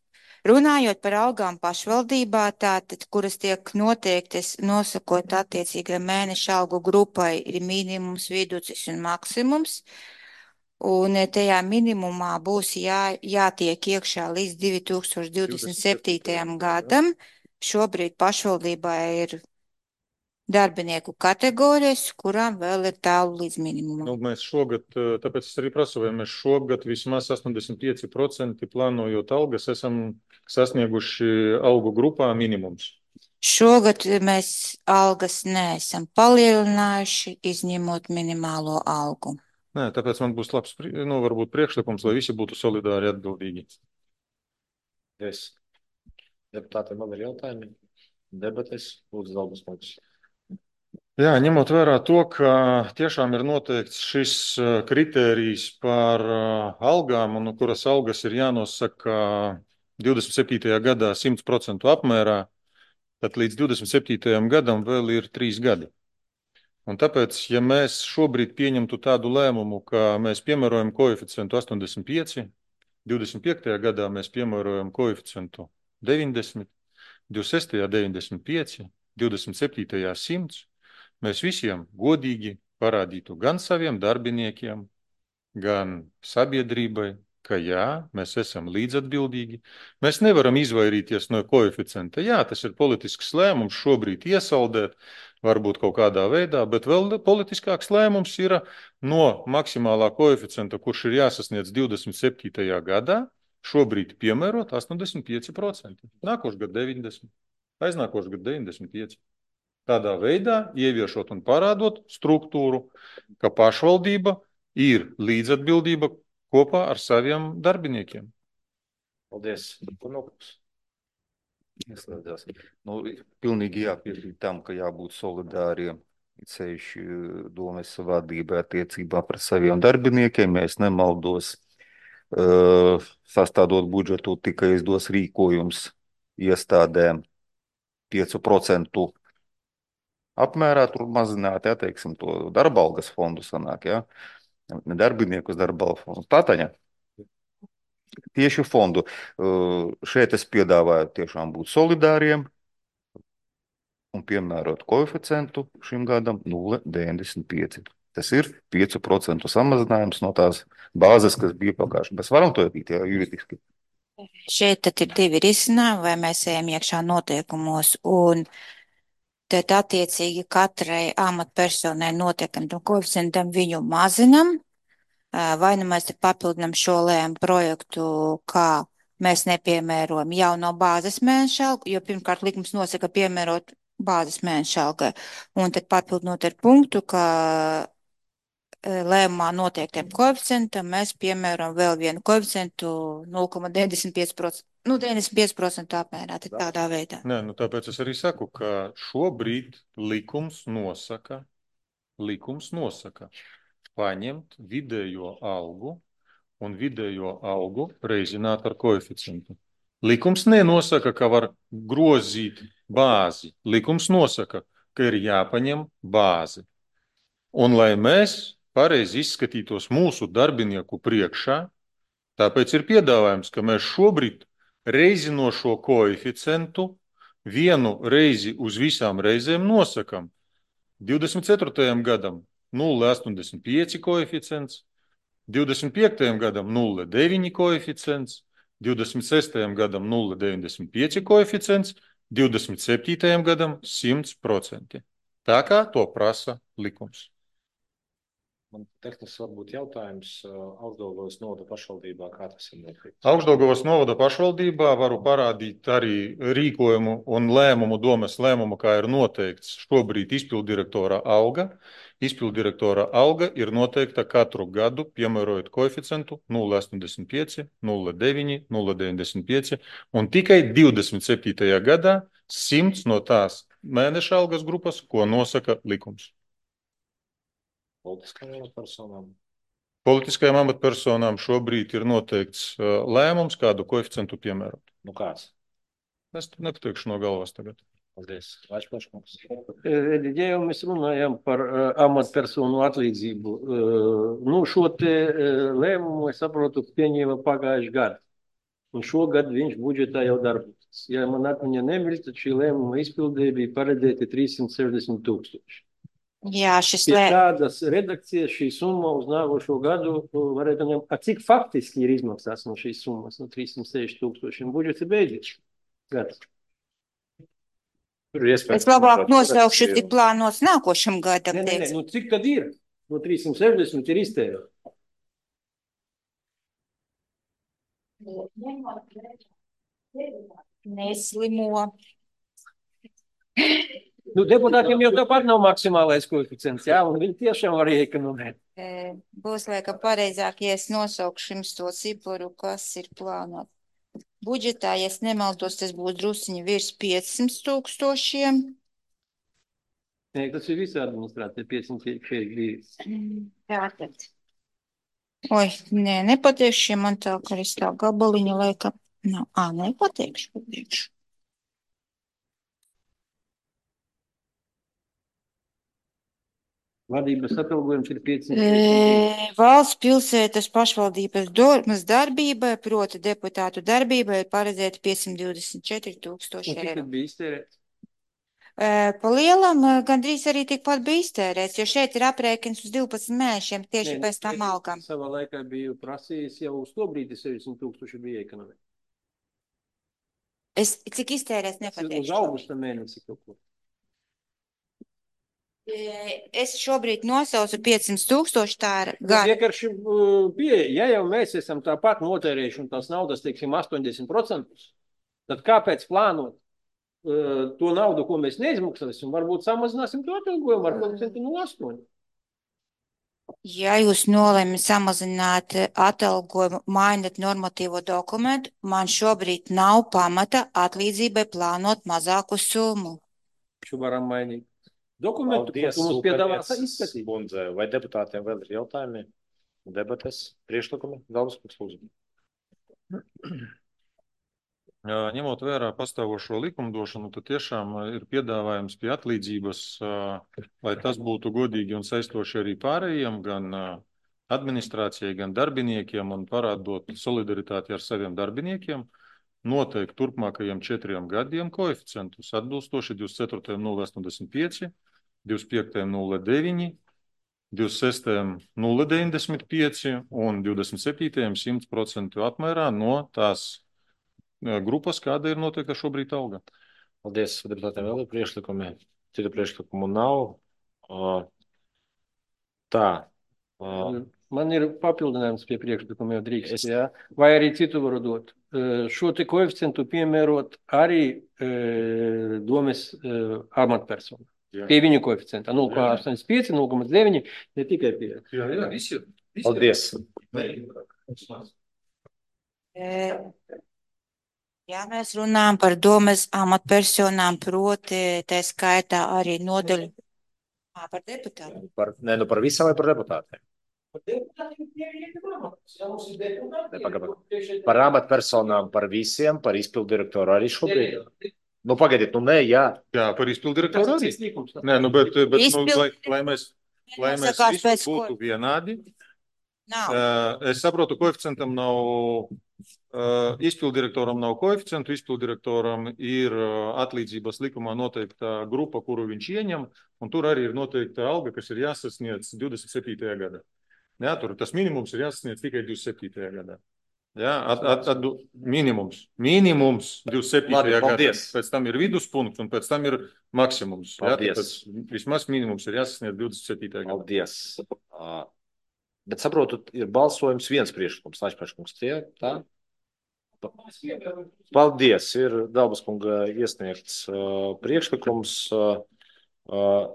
runājot par algām pašvaldībā, tātad, kuras tiek noteiktas nosakot attiecīgai mēneša algu grupai, ir minimums, viducis un maksimums. Un tajā minimumā būs jā, jātiek iekšā līdz divi tūkstoši divdesmit septītajam gadam. Šobrīd pašvaldībā ir darbinieku kategorijas, kurām vēl ir tālu līdz minimumam. Nu, mēs šogad, tāpēc es arī prasu, vai mēs šogad vismaz astoņdesmit pieci procenti plānojot algas, esam sasnieguši algu grupā minimums. Šogad mēs algas neesam palielinājuši, izņemot minimālo algu. Nē, tāpēc man būs labs, nu, varbūt priekšlikums, lai visi būtu solidāri atbildīgi. Es. Deputātiem vēl ir jautājumi? Debates, lūdzu, Zalbas kungs. Jā, ņemot vērā to, ka tiešām ir noteikts šis kritērijs par algām, un kuras algas ir jānosaka divdesmit septītajā gadā simt procentu apmērā, tad līdz divdesmit septītajam gadam vēl ir trīs gadi. Un tāpēc, ja mēs šobrīd pieņemtu tādu lēmumu, ka mēs piemērojam koeficientu astoņdesmit pieci, divdesmit piektajā gadā mēs piemērojam koeficientu deviņdesmit, divdesmit sestajā deviņdesmit pieci, divdesmit septītajā simts, mēs visiem godīgi parādītu gan saviem darbiniekiem, gan sabiedrībai, ka jā, mēs esam līdzatbildīgi. Mēs nevaram izvairīties no koeficienta. Jā, tas ir politisks lēmums šobrīd iesaldēt, varbūt kaut kādā veidā, bet vēl politiskāks lēmums ir no maksimālā koeficienta, kurš ir jāsasniedz divdesmit septītajā gadā, šobrīd piemērot astoņdesmit pieci procenti. Nākošais gads deviņdesmit, aiznākošais gads deviņdesmit pieci. Tādā veidā ieviešot un parādot struktūru, ka pašvaldība ir līdzatbildība kopā ar saviem darbiniekiem. Paldies. Kunokus. Ieslēdzās. Nu, pilnīgi jāpiekrīt tam, ka jābūt solidāriem. Ceļši domas vadībai attiecībā pret saviem darbiniekiem, ja es nemaldos, uh, sastādot budžetu, tikai izdos rīkojums iestādēm pieci procenti apmērā tur mazināt, ja, teiksim, to darba algas fondu sanāk, ja, ne darbiniekus darba algas fondu. Tātaņa. Tieši fondu. Šeit es piedāvāju tiešām būt solidāriem un piemērot koeficientu šim gadam nulle deviņdesmit pieci. Tas ir pieci procenti samazinājums no tās bāzes, kas bija pagājuši. Mēs varam to ietīt, ja, juridiski. Šeit tad ir divi risinājumi, vai mēs ejam iekšā noteikumos un tad attiecīgi katrai amatpersonai notiekam koeficientam viņu mazinam, vai nu mēs te papildinam šo lēmu projektu, kā mēs nepiemērojam jau no bāzes mēneša algu, jo pirmkārt likums nosaka piemērot bāzes mēneša algai, un tad papildinot ar punktu, ka lēmumā noteiktiem koeficientam mēs piemērojam vēl vienu koeficientu nulle komats deviņdesmit pieci procenti. Nu, deviņdesmit pieci procenti apmērā, tad tādā veidā. Nē, nu tāpēc es arī saku, ka šobrīd likums nosaka, likums nosaka paņemt vidējo algu un vidējo algu reizināt ar koeficientu. Likums nenosaka, ka var grozīt bāzi. Likums nosaka, ka ir jāpaņem bāzi. Un lai mēs pareizi izskatītos mūsu darbinieku priekšā, tāpēc ir piedāvājums, ka mēs šobrīd reizinošo koeficientu vienu reizi uz visām reizēm nosakam. divdesmit ceturtajam gadam nulle astoņdesmit pieci koeficients, divdesmit piektajam gadam nulle deviņi koeficients, divdesmit sestajam gadam nulle deviņdesmit pieci koeficients, divdesmit septītajam gadam simt procenti. Tā kā to prasa likums. Man tehniski varbūt jautājums Augšdaugavas novada pašvaldībā, kā tas ir notiekts? Augšdaugavas novada pašvaldībā varu parādīt arī rīkojumu un lēmumu, domas lēmumu, kā ir noteikts šobrīd izpildirektora alga. Izpildirektora alga ir noteikta katru gadu, piemērojot koeficientu nulle astoņdesmit pieci, nulle deviņi, nulle deviņdesmit pieci, un tikai divdesmit septītajā gadā simts no tās mēneša algas grupas, ko nosaka likums. Politiskajām amatpersonām? Politiskajām amatpersonām šobrīd ir noteikts lēmums, kādu koeficientu piemērot. Nu kāds? Es nepateikšu no galvas tagad. Paldies. Vaļšplaškungs. Ja jau mēs runājam par amatpersonu atlīdzību, nu šo te lēmumu, es saprotu, pieņēma pagājuši gadu. Un šogad viņš budžetā jau darbojas. Ja man atmiņa nemir, tad šī lēmuma izpildē bija paredzēti trīssimt sešdesmit tūkstoši. Jā, šis Pie lē... tādas redakcijas šī summa uz nākošo gadu varētu ņemt, a cik faktiski ir izmaksās no šīs summas, no trīssimt sešdesmit tūkstošiem, budžets ir beidzies. Gads. Es labāk nosaukšu, cik plānots nākošam gadam. Nē, nē, nē, nu cik tad ir? No trīssimt sešdesmit ir iztērēts. Neslimo. Nu, deputātiem jau tāpat nav maksimālais koeficients, jā, un viņi tiešām var iekonomēt. Būs laikam pareizāk, ja es nosaukšu jums to ciparu, kas ir plānot. Budžetā, ja es nemaldos, tas būs drusiņi virs piecsimt tūkstošiem. Nē, tas ir visa administrācija, piecsimt četrdesmit divi. Tātad. Oi, nē, nepateikšu, ja man tā kā es tā gabaliņa laika. Nav, ā, nepateikšu, pateikšu. Vadības atalgojums ir piecsimt. E, valsts pilsētas pašvaldības domas darbībai, proti deputātu darbībai, ir paredzēta piecsimt divdesmit četri tūkstoši Un cik eiro. tad bija iztērēts? E, pa lielam e, gandrīz arī tikpat bija iztērēts, jo šeit ir aprēķins uz divpadsmit mēnešiem tieši Nē, pēc tam es algām. Savā laikā biju prasījis jau uz to brīdi sešdesmit tūkstoši bija ekonomika. Es cik iztērēts Uz nepateikšu. augusta mēnesi kaut ko. E, Es šobrīd nosaucu piecsimt tūkstoši, tā ir Nu, gada. vienkārši uh, pieeja, ja jau mēs esam tāpat notērējuši un tās naudas, teiksim, astoņdesmit procentus, tad kāpēc plānot uh, to naudu, ko mēs neizmaksāsim, varbūt samazināsim to atalgojumu ar procentu nulle astoņi. Ja jūs nolemat samazināt atalgojumu, mainot normatīvo dokumentu, man šobrīd nav pamata atlīdzībai plānot mazāku summu. Šo varam mainīt. Dokumentu, ko tu mums piedāvās izskatīt. Kundze, vai deputātiem vēl ir jautājumi, debates, priekšlikumi? Galvas, kungs, lūdzu. Ņemot vērā pastāvošo likumdošanu, tad tiešām ir piedāvājums pie atlīdzības, lai tas būtu godīgi un saistoši arī pārējiem, gan administrācijai, gan darbiniekiem un parādot solidaritāti ar saviem darbiniekiem, noteikti turpmākajiem četriem gadiem koeficientus atbilstoši divdesmit ceturtajam nulle astoņdesmit pieci, divdesmit piektajam nulle deviņi, divdesmit sestajam nulle deviņdesmit pieci un divdesmit septītajam simt procentu apmērā no tās grupas, kāda ir noteikta šobrīd alga. Paldies, deputātiem vēl ir priekšlikumi. Citu priekšlikumu nav. Tā. Man ir papildinājums pie priekšlikuma, jau drīkst, Es- jā. Vai arī citu varu dot. Šo te koeficientu piemērot arī e, domes e, amatpersonu. Jā. Pie viņu koeficienta nulle komats astoņdesmit pieci, nulle komats deviņi, ne tikai pie. Jā, jā, visi. Paldies. E, Ja mēs runājam par domes amatpersonām, proti, tā skaitā arī nodaļu Ā, par deputātu. Par, ne, nu par visām vai par deputātiem? Par amatpersonām, par visiem, par izpildu direktoru arī šobrīd. Nu, pagaidiet, nu nē, jā. Jā, par izpildu direktoru arī. Nē, nu, bet, bet nu, Izpildu- lai, lai mēs, lai mēs Nosakās visi pēc būtu ko- vienādi, Nav. Uh, es saprotu, koeficientam nav, uh, izpildirektoram nav koeficientu, izpildirektoram ir uh, atlīdzības likumā noteikta grupa, kuru viņš ieņem, un tur arī ir noteikta alga, kas ir jāsasniedz divdesmit septītajā gadā. Jā, tur tas minimums ir jāsasniedz tikai divdesmit septītajā gadā. Jā, at, at, at, minimums. Minimums divdesmit septītajā Labi, gadā. paldies. Pēc tam ir viduspunkts un pēc tam ir maksimums. Jā, Paldies. tāpēc vismaz minimums ir jāsasniedz divdesmit septītajā gadā. Paldies. Uh, Bet saprotu, ir balsojums viens priekšlikums. Laišpēškungs, tie, tā? Paldies. Ir Dalbas kunga iesniegts uh, priekšlikums. Uh, uh,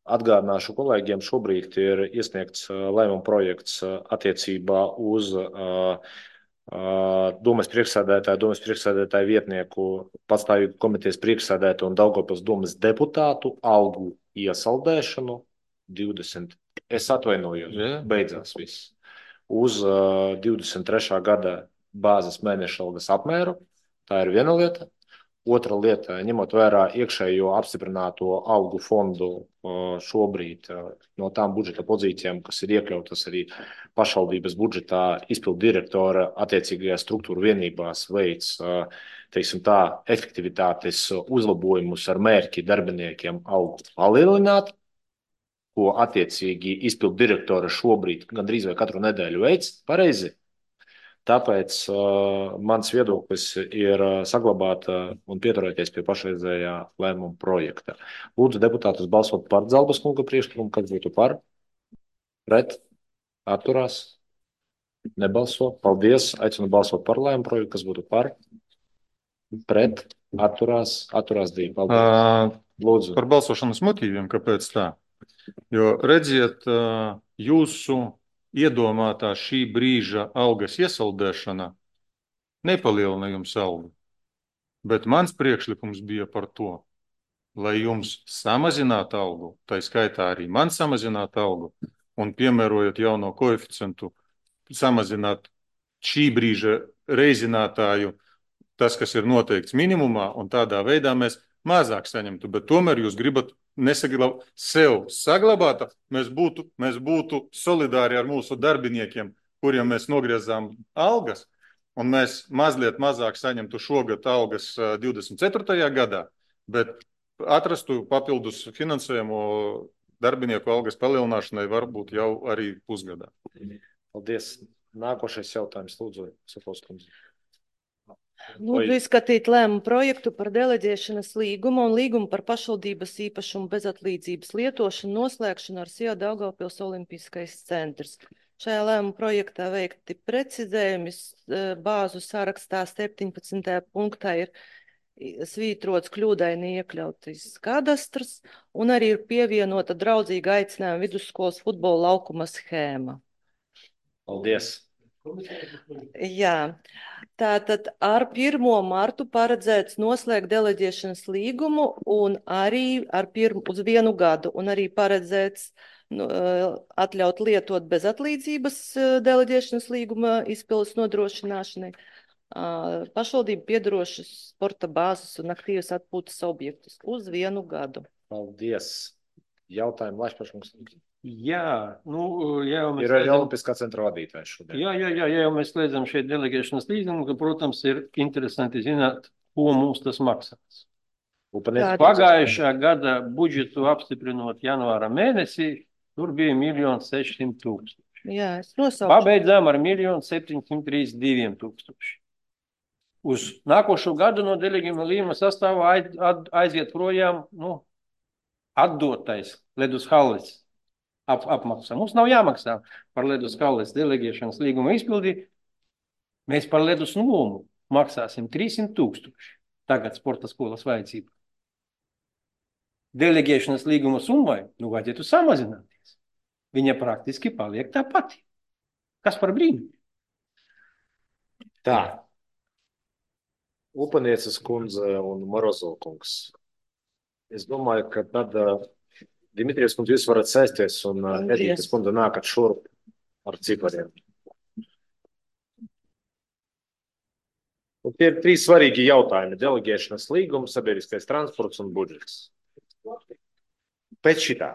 atgādināšu kolēģiem, šobrīd ir iesniegts uh, lēmuma projekts uh, attiecībā uz uh, uh, domes priekšsēdētāju, domes priekšsēdētāju vietnieku, patstāvīgu komitejas priekšsēdētāju un Daugavpils domes deputātu algu iesaldēšanu divdesmit. Es atvainojos, Jā. beidzās viss. Uz uh, divdesmit trešā gada bāzes mēneša algas apmēru. Tā ir viena lieta. Otra lieta, ņemot vērā iekšējo apstiprināto algu fondu uh, šobrīd uh, no tām budžeta pozīcijām, kas ir iekļautas arī pašvaldības budžetā, izpildu direktora attiecīgajā struktūra vienībās veids, uh, teiksim tā, efektivitātes uzlabojumus ar mērķi darbiniekiem algu palielināt, ko attiecīgi izpildu direktora šobrīd gandrīz vai katru nedēļu veids, pareizi. Tāpēc uh, mans viedoklis ir uh, saglabāt uh, un pieturēties pie pašreizējā lēmuma projekta. Lūdzu deputātus balsot par Zalbas kunga priekšlikumu, kad būtu par, pret, atturās, nebalso. Paldies, aicinu balsot par lēmuma projektu, kas būtu par, pret, atturās, atturās divi. Paldies. Uh, Lūdzu. Par balsošanas motīviem, kāpēc tā? Jo redziet, jūsu iedomātā šī brīža algas iesaldēšana nepalielina jums algu, bet mans priekšlikums bija par to, lai jums samazinātu algu, tā skaitā arī man samazinātu algu, un piemērojot jauno koeficientu, samazināt šī brīža reizinātāju, tas, kas ir noteikts minimumā, un tādā veidā mēs mazāk saņemtu, bet tomēr jūs gribat nesaglabāt sev saglabāt, mēs būtu, mēs būtu solidāri ar mūsu darbiniekiem, kuriem mēs nogriezām algas, un mēs mazliet mazāk saņemtu šogad algas divdesmit ceturtajā gadā, bet atrastu papildus finansējumu darbinieku algas palielināšanai varbūt jau arī pusgadā. Paldies. Nākošais jautājums, lūdzu, Sofos kundze. Lūdzu izskatīt lēmumu projektu par deleģēšanas līgumu un līgumu par pašvaldības īpašumu bezatlīdzības lietošanu noslēgšanu ar S I A Daugavpils Olimpiskais centrs. Šajā lēmuma projektā veikti precizējumi, bāzu sarakstā septiņpadsmitajā punktā ir svītrots kļūdaini iekļautais kadastrs un arī ir pievienota draudzīga aicinājuma vidusskolas futbola laukuma schēma. Paldies. Jā, tātad ar pirmo martu paredzēts noslēgt deleģēšanas līgumu un arī ar pirmu, uz vienu gadu un arī paredzēts nu, atļaut lietot bez atlīdzības deleģēšanas līguma izpildes nodrošināšanai pašvaldību piedarošas sporta bāzes un aktīvas atpūtas objektus uz vienu gadu. Paldies. Jautājumu Lašpaškungs. Jā, nu, ja jau mēs ir arī Olimpiskā centra vadītājs šodien. Jā, jā, jā, ja jau mēs slēdzam šeit delegēšanas līgumu, ka, protams, ir interesanti zināt, ko mums tas maksās. Upaniec. Pagājušā gada budžetu apstiprinot janvāra mēnesī, tur bija miljons sešsimt tūkstoši. Jā, es nosaucu. Pabeidzām ar miljonu septiņsimt trīsdesmit diviem tūkstoši. Uz nākošo gadu no delegējuma līguma sastāvā aiziet projām, nu, atdotais ledus halles. Ap, apmaksā. Mums nav jāmaksā par ledus halles delegēšanas līguma izpildi. Mēs par ledus nomu maksāsim trīssimt tūkstoši. Tagad sporta skolas vajadzība. Delegēšanas līguma summai, nu, vajadzētu samazināties. Viņa praktiski paliek tā pati. Kas par brīnu? Tā. Upanieces kundze un Morozov kungs. Es domāju, ka tad... Dimitrijs kundze, jūs varat sēsties un Edītes kundze nākat šurp ar cipariem. Un tie ir trīs svarīgi jautājumi. Delegēšanas līgums, sabiedriskais transports un budžets. Pēc šitā.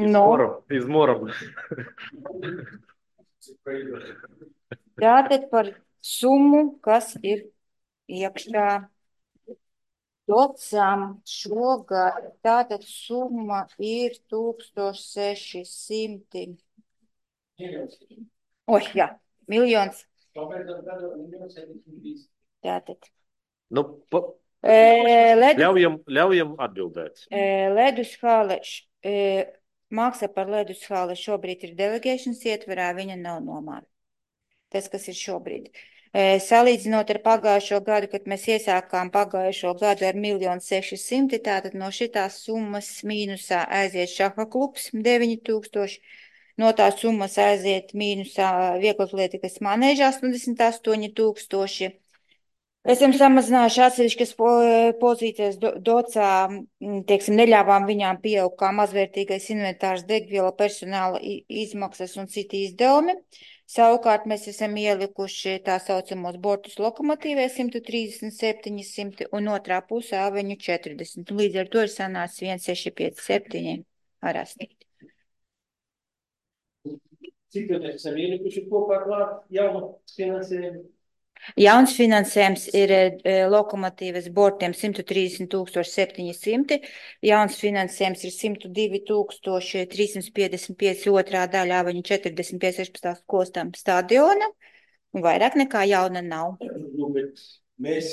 No. Izmoram. Tātad par summu, kas ir iekšā docām šogad, tātad summa ir tūkstoš seši simti. Oi, jā, miljons. Tātad. Nu, pa... e, ledus, ļaujam, ļaujam atbildēt. E, ledus hale, e, maksa par ledus hale šobrīd ir delegēšanas ietverā, viņa nav nomāra. Tas, kas ir šobrīd. E, salīdzinot ar pagājušo gadu, kad mēs iesākām pagājušo gadu ar miljonu seši simti, tātad no šitās summas mīnusā aiziet šaha klubs deviņi tūkstoši, no tās summas aiziet mīnusā vieglatlētikas manēža astoņdesmit astoņi tūkstoši. Esam samazinājuši atsevišķas pozīcijas do, docā, teiksim, neļāvām viņām pieaugt kā mazvērtīgais inventārs, degviela, personāla izmaksas un citi izdevumi. Savukārt mēs esam ielikuši tā saucamos bortus lokomotīvē simt trīsdesmit septiņi simti un otrā pusē aveņu četrdesmit. Līdz ar to ir sanācis viens seši pieci septiņi ar astīt. Cik jau mēs esam ielikuši kopā klāt jaunu finansējumu? Jauns finansējums ir e, lokomotīvas bortiem simt trīsdesmit tūkstoši septiņi simti, jauns finansējums ir simt divi tūkstoši trīssimt piecdesmit pieci otrā daļā, viņu četrdesmit pieci sešpadsmit kostam stadiona, un vairāk nekā jauna nav. Nu, bet mēs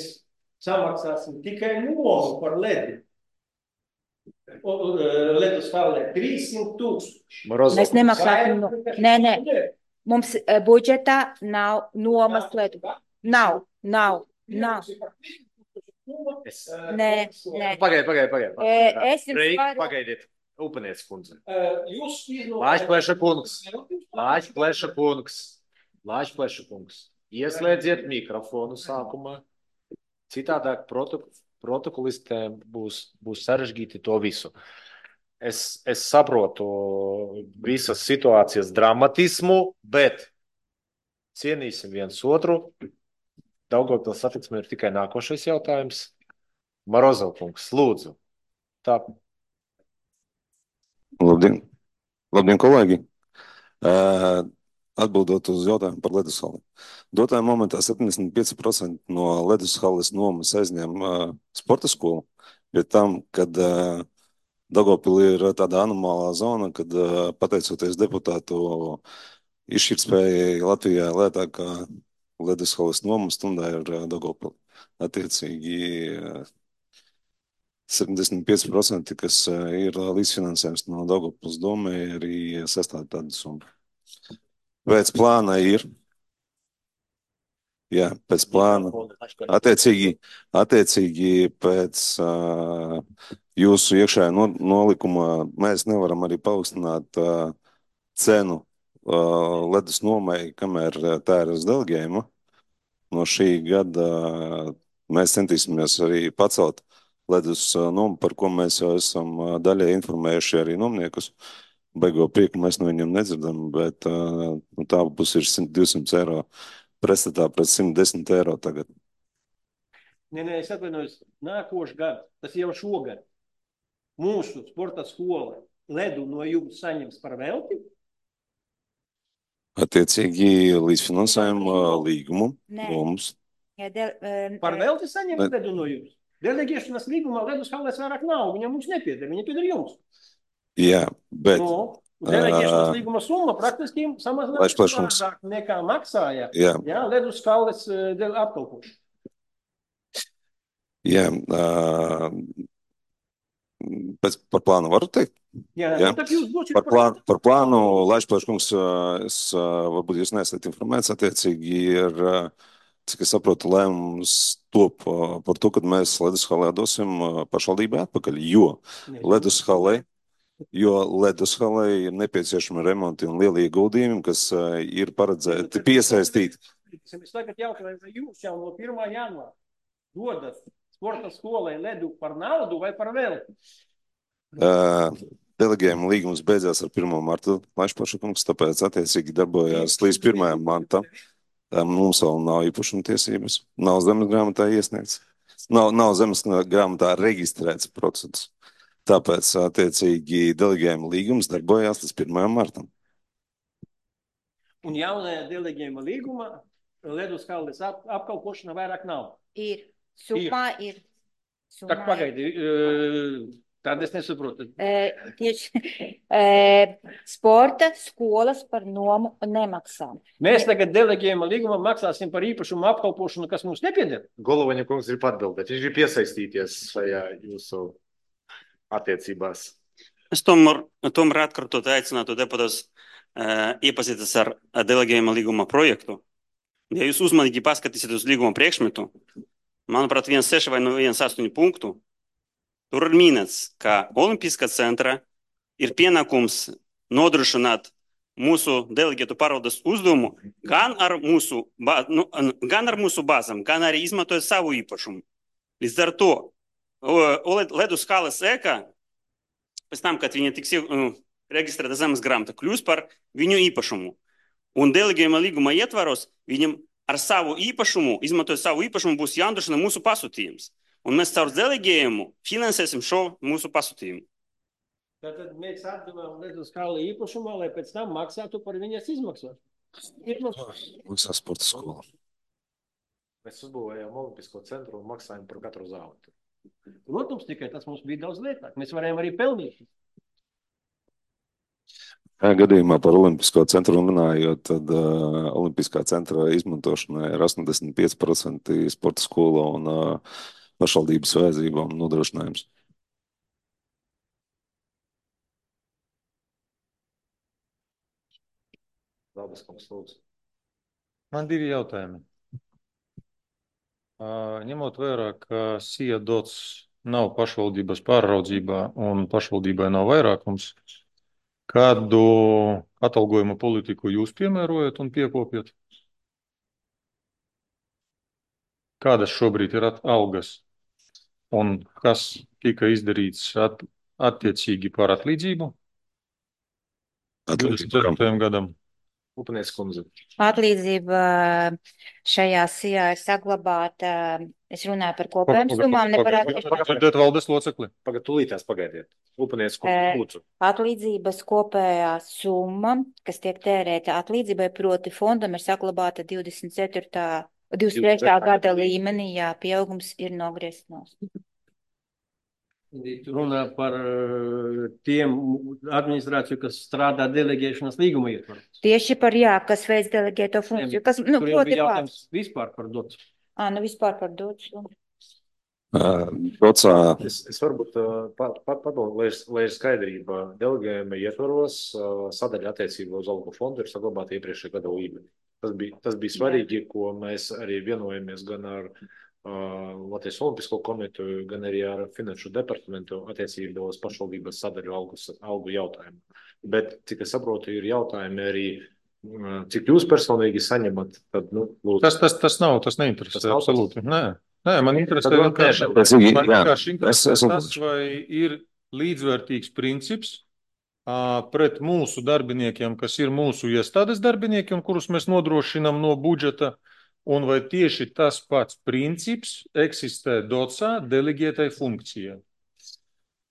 samaksāsim tikai nomu par ledu. Ledus hallē trīssimt tūkstoši. Mēs nemaksāsim no... Nē, nē, mums e, budžetā nav nomas ledu. Nav, nav, nav. Es... Nē, nē. Pagaid, pagaid, pagaid. E, es jums Reik, varu... pagaidiet. Upanieces kundze. Jūs izlūk... Lāčpleša kungs. Lāčpleša kungs. Lāčpleša kungs. Ieslēdziet mikrofonu sākumā. Citādāk protok protokolistēm būs, būs sarežģīti to visu. Es, es saprotu visas situācijas dramatismu, bet cienīsim viens otru. Daugavpils satiksme ir tikai nākošais jautājums. Morozov kungs, lūdzu. Tā. Labdien, Labdien kolēģi! Uh, Atbildot uz jautājumu par ledushalli. Dotajā momentā septiņdesmit pieci procenti no ledushalles nomas aizņem uh, sporta skolu, bet tam, kad uh, Daugavpilī ir tāda anomālā zona, kad uh, pateicoties deputātu izšķirtspējai Latvijā lētākā ledushalles noma stundā ir uh, Daugavpilī. Attiecīgi uh, septiņdesmit pieci procenti, kas uh, ir līdzfinansējums no Daugavpils domē, arī sastāv tādu summu. Pēc plāna ir, jā, pēc plāna, attiecīgi, attiecīgi pēc uh, jūsu iekšējā no, nolikuma mēs nevaram arī paaugstināt uh, cenu uh, ledus nomai, kamēr tā ir uz delegējumu. No šī gada uh, mēs centīsimies arī pacelt ledus uh, nomu, par ko mēs jau esam uh, daļai informējuši arī nomniekus. Beigo prieku mēs no viņiem nedzirdam, bet uh, tā būs ir simt divsimt eiro pretstatā pret simt desmit eiro tagad. Nē, nē, es atvainojos, nākošu gadu, tas jau šogad, mūsu sporta skola ledu no jums saņems par velti? Attiecīgi līdzfinansējuma līgumu mums. Ja del, um, Par velti saņems Ne. ledu no jums? Delegēšanas līgumā ledus halles vairāk nav, viņam mums nepieder, viņa pieder jums. Jā, bet Nu, delegēšanas ā, līguma summa praktiski Laiš samazinās plašums. vairāk nekā maksāja, jā, jā, ledus halles apkalpošana. jā, ā, pēc par plānu varu teikt? Jā, Jā. nu, tak jūs došiet Par plānu, par plānu Laišplēškungs, es, ā, varbūt jūs neesat informēts, attiecīgi ir, ā, cik es saprotu, lēmums top ā, par to, kad mēs ledushalē dosim ā, pašvaldībai atpakaļ, jo Ne, ledushalē, jo ledushalē ir nepieciešami remonti un lieli ieguldījumi, kas ā, ir paredzēti piesaistīt. Es tagad jautāju, vai jūs jau no pirmā janvāra dodat sporta skolai ledu par naudu vai par velti? Uh, Delegējuma līgums beidzās ar pirmo martu, Laišplaškungs, tāpēc attiecīgi darbojās līdz pirmajam martam. Tā mums vēl nav īpašuma tiesības, nav zemes grāmatā iesniegts, nav, nav zemes grāmatā reģistrēts process. Tāpēc attiecīgi delegējuma līgums darbojās līdz pirmajam martam. Un jaunajā delegējuma līgumā ledus halles ap, apkalpošana vairāk nav. ir, summā ir. Summā Tak pagaidi, uh, tad es nesaprotu. E, tieši e, sporta skolas par nomu nemaksā. Mēs tagad delegējuma līgumā maksāsim par īpašumu apkalpošanu, kas mums nepieder. Golovanя kungs grib atbildēt. Viņš grib iesaistīties šajā jūsu attiecībās. Es tomēr, tomēr atkārtot aicinātu deputātus uh, iepazīties ar delegējuma līguma projektu. Ja jūs uzmanīgi paskatīsiet uz līguma priekšmetu, manuprāt, viens seši vai viens astoņi punktu, tur ir minēts, ka Olimpiskā centra ir pienākums nodrošināt mūsu delegētu pārvaldes uzdevumu gan ar mūsu, ba, nu, gan ar mūsu bāzām, gan arī izmantojot savu īpašumu. Līdz ar to ledus halles ēka, pēc tam, kad viņa tiks uh, reģistrēta zemes grāmatā, kļūs par viņu īpašumu. Un delegējuma līguma ietvaros viņam ar savu īpašumu, izmantojot savu īpašumu, būs jānodrošina mūsu pasūtījums. Un mēs caur delegējumu finansēsim šo mūsu pasūtījumu. Tātad mēs atdevām ledus halle īpašumā, lai pēc tam maksātu par viņas izmaksām. Maksā sporta skola. Mēs uzbūvējām Olimpisko centru un maksājām par katru zāli. Protams, tikai tas mums bija daudz lietāk. Mēs varējām arī pelnīt. Gadījumā par Olimpisko centru runājot, tad uh, Olimpiskā centra izmantošanai ir astoņdesmit pieci procenti sporta skola un uh, pašvaldības vajadzībām nodrošinājums. Zāles kungs, lūdzu. Man divi jautājumi. Uh, ņemot vērā, ka S I A dots nav pašvaldības pāraudzībā un pašvaldībai nav vairākums, kādu atalgojuma politiku jūs piemērojat un piekopjat? kādas šobrīd ir at- algas un kas tika izdarīts at, attiecīgi par atlīdzību divdesmit ceturtajam gadam? Upinieks kundze. Atlīdzība šajā sijā ir saglabāta. Es runāju par kopējām summām, ne par atsevišķām. Pagaidiet, valdes locekli. Pagad, tūlītās pagaidiet. Upinieks kundze, Eh, lūdzu. Atlīdzības kopējā summa, kas tiek tērēta atlīdzībai, proti fondam, ir saglabāta divdesmit ceturtā, divdesmit trešā gada līmenī, jā, pieaugums ir nogriezts nost. Runā par eh, tiem administrāciju, kas strādā delegēšanas līguma ietvaros. Tieši par jā, kas veids delegēto funkciju, kas, nu, Kuriem proti bija pār. jautājums vispār par dots. Ā, nu vispār par dots. Uh, Docā, Es, es varbūt uh, pa, pa, padomāju, lai, ir- lai ir skaidrība, delegējuma ietvaros uh, sadaļa attiecībā uz algu fondu ir saglabāta iepriekšējā gada līmenī. Tas bija, tas bija svarīgi, ko mēs arī vienojamies gan ar uh, Latvijas Olimpisko komiteju, gan arī ar Finanšu departamentu attiecībā uz pašvaldības sadaļu algu, algu jautājumu. Bet, cik es saprotu, ir jautājumi arī, uh, cik jūs personīgi saņemat, tad, nu, lūdzu. Tas, tas, tas nav, tas neinteresē, Tas nav tas? absolūti. Nē, nē, man interesē Tad vēl vienkārši, nē, bet- man Jā, vienkārši es- interesē es- tas, vai ir līdzvērtīgs princips ā, pret mūsu darbiniekiem, kas ir mūsu iestādes darbinieki un kurus mēs nodrošinām no budžeta, un vai tieši tas pats princips eksistē docā delegētai funkcijai.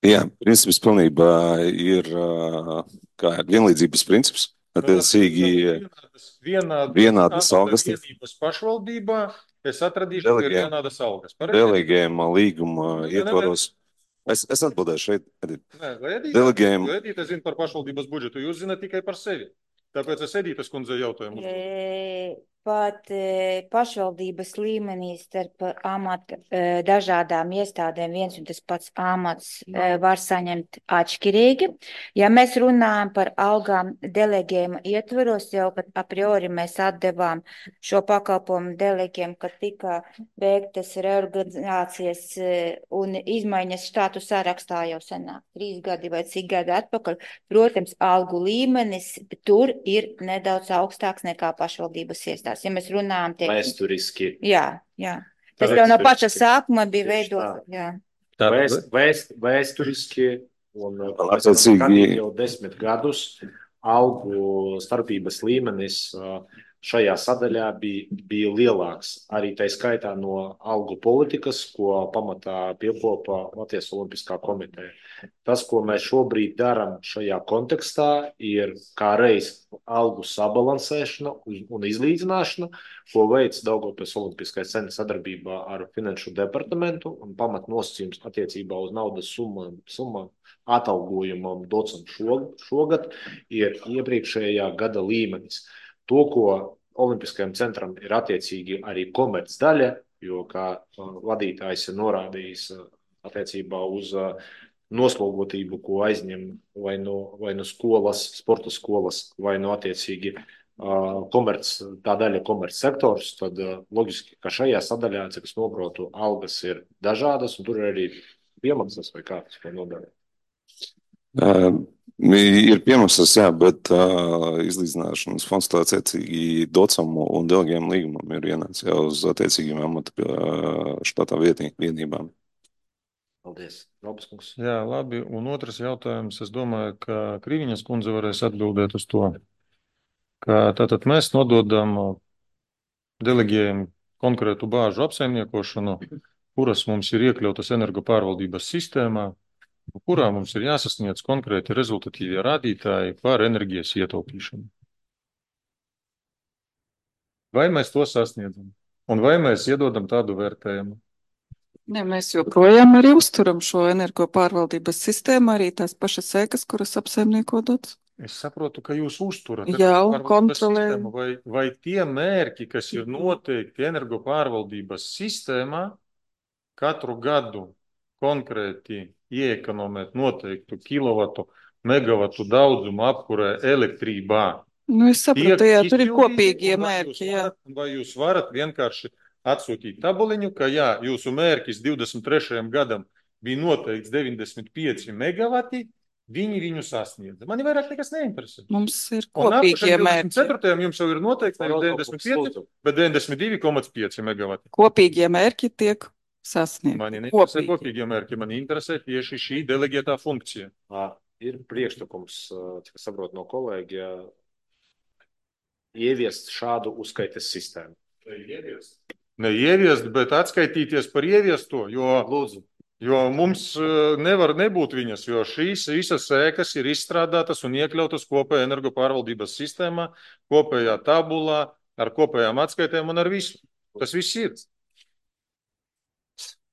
jā, princips pilnībā ir, uh, kā ir vienlīdzības princips. Attiecīgi, Vienādas, vienādas, vienādas algas. vienības pašvaldībā es atradīšu, ka ir Delegē- vienādas algas. Pareizi? delegējuma līguma Nu, ietvaros. Es, es atbildēšu šeit. Edit. Nē, vai Edita? Delegējuma- Jo Edita zina par pašvaldības budžetu, jūs zināt tikai par sevi. Tāpēc es Editas kundzei jautājumu. uzdodu. E, Pat e, pašvaldības līmenī starp amat, e, dažādām iestādēm viens un tas pats amats e, var saņemt atšķirīgi. Ja mēs runājam par algām delegējuma ietvaros, jau kad a priori mēs atdevām šo pakalpojumu delegiem, kad tika veiktas reorganizācijas e, un izmaiņas štātu sarakstā jau senāk, trīs gadi vai cik gadi atpakaļ. Protams, algu līmenis tur ir nedaudz augstāks nekā pašvaldības iestādes. Ja mēs runājam, teiksim, Vēsturiski. jā, jā. Tas Tāpēc jau no paša vēsturiski. sākuma bija Tieši veidots, tā. jā. Vēst, vēst, vēsturiski un uh, Vēl mēs esam attiecīgi- skatīt jau desmit gadus algu starpības līmenis uh, šajā sadaļā bija, bija lielāks. Arī tā skaitā no algu politikas, ko pamatā piekopa Latvijas Olimpiskā komiteja. Tas, ko mēs šobrīd darām šajā kontekstā, ir kā reiz algu sabalansēšana un- un izlīdzināšana, ko veids Daugavpils Olimpiskais centrs sadarbībā ar Finanšu departamentu un pamatnosacījums attiecībā uz naudas summām, summām atalgojumam docam šog- šogad ir iepriekšējā gada līmenis. To, ko Olimpiskajam centram ir attiecīgi arī komerc daļa, jo, kā uh, vadītājs ir norādījis uh, attiecībā uz uh, noslogotību, ko aizņem vai no, vai no skolas, sporta skolas, vai no attiecīgi uh, komerc, tā daļa komerc sektors, tad uh, loģiski, ka šajā sadaļā, cik es noprotu, algas ir dažādas, un tur ir arī piemaksas vai kā tas ko nodara. Uh, ir piemaksas, jā, bet uh, izlīdzināšanas fonds tā attiecīgi docam un delegējuma līgumam ir ienācis jau uz attiecīgiem amata uh, štatā vietī, vienībām. Paldies. Robas kungs. Jā, labi. Un otrs jautājums, es domāju, ka Kriviņas kundze varēs atbildēt uz to. Ka tātad mēs nododam delegējumu konkrētu bāžu apsaimniekošanu, kuras mums ir iekļautas energopārvaldības sistēmā, kurā mums ir jāsasniedz konkrēti rezultatīvie rādītāji par enerģijas ietaupīšanu. Vai mēs to sasniedzam? Un vai mēs iedodam tādu vērtējumu? Ne, mēs joprojām arī uzturam šo energopārvaldības sistēmu, arī tās pašas sēkas, kuras apsaimnieko dots. Es saprotu, ka jūs uzturat Jā, energopārvaldības kontrolējam. sistēmu, vai, vai tie mērķi, kas ir noteikti energopārvaldības sistēmā, katru gadu konkrēti ieekonomēt noteiktu kilovatu, megavatu daudzumu apkurē elektrībā. Nu, es saprotu, tiek jā, tur ir izpildīti, kopīgie un vai mērķi, jūs jā. varat- Vai jūs varat vienkārši atsūtīt tabuliņu, ka jā, jūsu mērķis divdesmit trešajam gadam bija noteikts deviņdesmit pieci megavati, viņi viņu sasniedza. Mani vairāk nekas neinteresē. Mums ir Un nākošajam kopīgie divdesmit mērķi. ceturtajam jums jau ir noteikti nevis deviņdesmit pieci, bet deviņdesmit divi komats pieci megavati. Kopīgie mērķi tiek sasniegti. Mani neinteresē Kopīgi. kopīgie mērķi, mani interesē tieši šī deleģētā funkcija. Ā, Ir priekšlikums, cik es saprotu no kolēģa, ieviest šādu uzskaites sistēmu. Ne ieviest, bet atskaitīties par ieviesto, jo, Lūdzu. jo mums eh, nevar nebūt viņas, jo šīs visas ēkas ir izstrādātas un iekļautas kopējā energopārvaldības sistēmā, kopējā tabulā, ar kopējām atskaitēm un ar visu. Tas viss ir.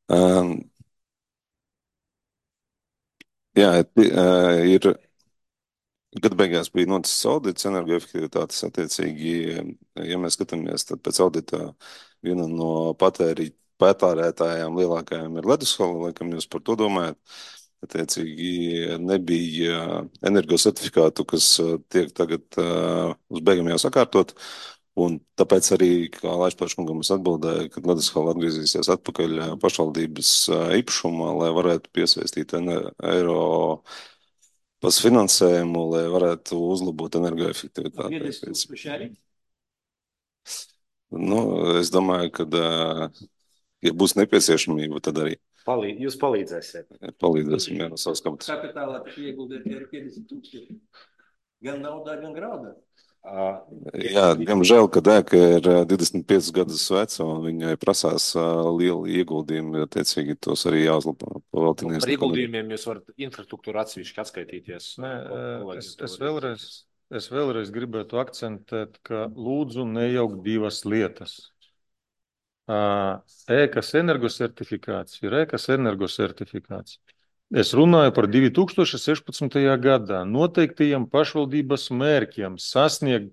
Um, jā, ti- uh, ir. Gada beigās bija noticis audits energoefektivitātes attiecīgi, ja mēs skatāmies, tad pēc audita viena no patēri, patērētājām lielākajām ir Ledushala, laikam jūs par to domājat. Attiecīgi nebija energosertifikātu, kas uh, tiek tagad uh, uz beigām jau sakārtot, un tāpēc arī, kā Laišpaškungam es atbildēju, kad Ledushala atgriezīsies atpakaļ uh, pašvaldības uh, īpašumā, lai varētu piesaistīt ene- eiro pas finansējumu, lai varētu uzlabot energoefektivitāti. Nu, es domāju, ka, ā, ja būs nepieciešamība, tad arī Palī, jūs palīdzēsiet. palīdzēsim jā, no savas kabatas. Kapitālā taču ieguldēt ir piecdesmit tūkstoši. Gan naudā, gan graudā. Ā, Jā, diemžēl, kad ēka ir ā, divdesmit piecus gadus veca un viņai prasās ā, lieli ieguldījumi, attiecīgi tos arī jāuzlabo. Par ieguldījumiem jūs varat infrastruktūru atsevišķi atskaitīties. Nē, Kolēģi es, to es, var vēlreiz, es vēlreiz gribētu akcentēt, ka lūdzu nejaukt divas lietas. Ā, Ēkas energosertifikācija ir ēkas energosertifikācija. Es runāju par divi tūkstoši sešpadsmitajā gadā noteiktajiem pašvaldības mērķiem sasniegt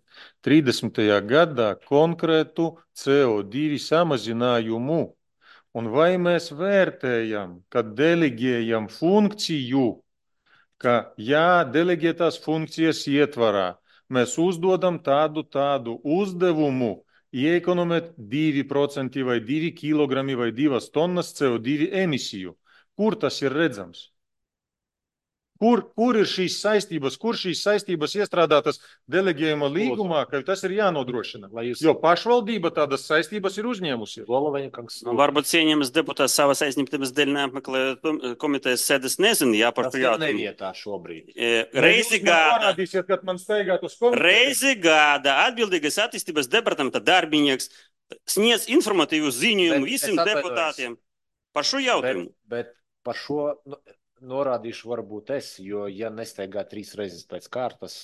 trīsdesmitajā gadā konkrētu C O divi samazinājumu. Un vai mēs vērtējam, ka deleģējam funkciju, ka jā, deleģētās funkcijas ietvarā mēs uzdodam tādu tādu uzdevumu iekonomēt divi procenti vai divi kilogrami vai divas tonnas C O divi emisiju. Kur tas ir redzams? Kur, kur ir šīs saistības, kur šīs saistības iestrādātas deleģējuma līgumā, ka tas ir jānodrošina? Jūs... Jo pašvaldība tādas saistības ir uzņēmusi. Nu, varbūt cienījamies deputāts savas aizņemtības dēļ neapmeklē komitejas sēdes nezinu, jā, par Tas ir nevietā šobrīd. E, reizi gada, Parādīsiet, kad man steigāt uz komiteju. reizi gada atbildīgais attīstības departamenta darbinieks sniedz informatīvu ziņojumu Bet visiem es atvainojos. deputātiem par šo jautājumu. Bet, bet par šo nu, norādīšu varbūt es, jo ja nesteigā trīs reizes pēc kārtas,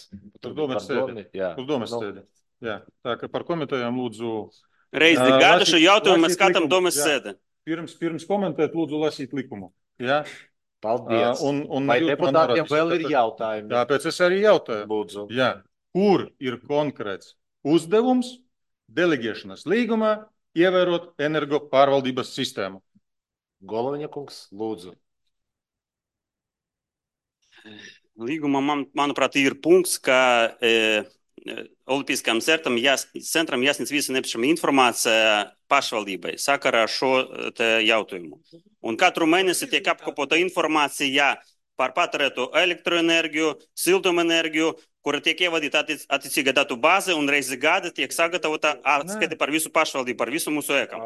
Tur domas par sēde. domi, jā. Uz domas Nu, sēde. Jā, tā ka par komitejām lūdzu. Reizi Ā, gada lasīt- šo jautājumu mēs lasīt skatām likumu. domas Jā. sēde. Pirms, pirms komentēt, lūdzu lasīt likumu. Jā? Paldies. Ā, un, un Vai jūs man deputātiem norādīsiet, vēl ir tāpēc- jautājumi? Tāpēc es arī jautāju. Lūdzu. Jā. Kur ir konkrēts uzdevums deleģēšanas līgumā ievērot energo pārvaldības sistēmu? Goloviņa kungs, lūdzu. Līgumā, man, manuprāt, ir punkts, ka e, Olimpiskajam centram, jās, centram jāsniedz visa nepieciešama informācija pašvaldībai sakarā ar šo te jautājumu. Un katru mēnesi tiek apkopota informācija par patērēto elektroenerģiju, siltumenerģiju, kura tiek ievadīta attiec, attiecīga datu bāze un reizi gada tiek sagatavota atskaite par visu pašvaldību, par visu mūsu ēkam.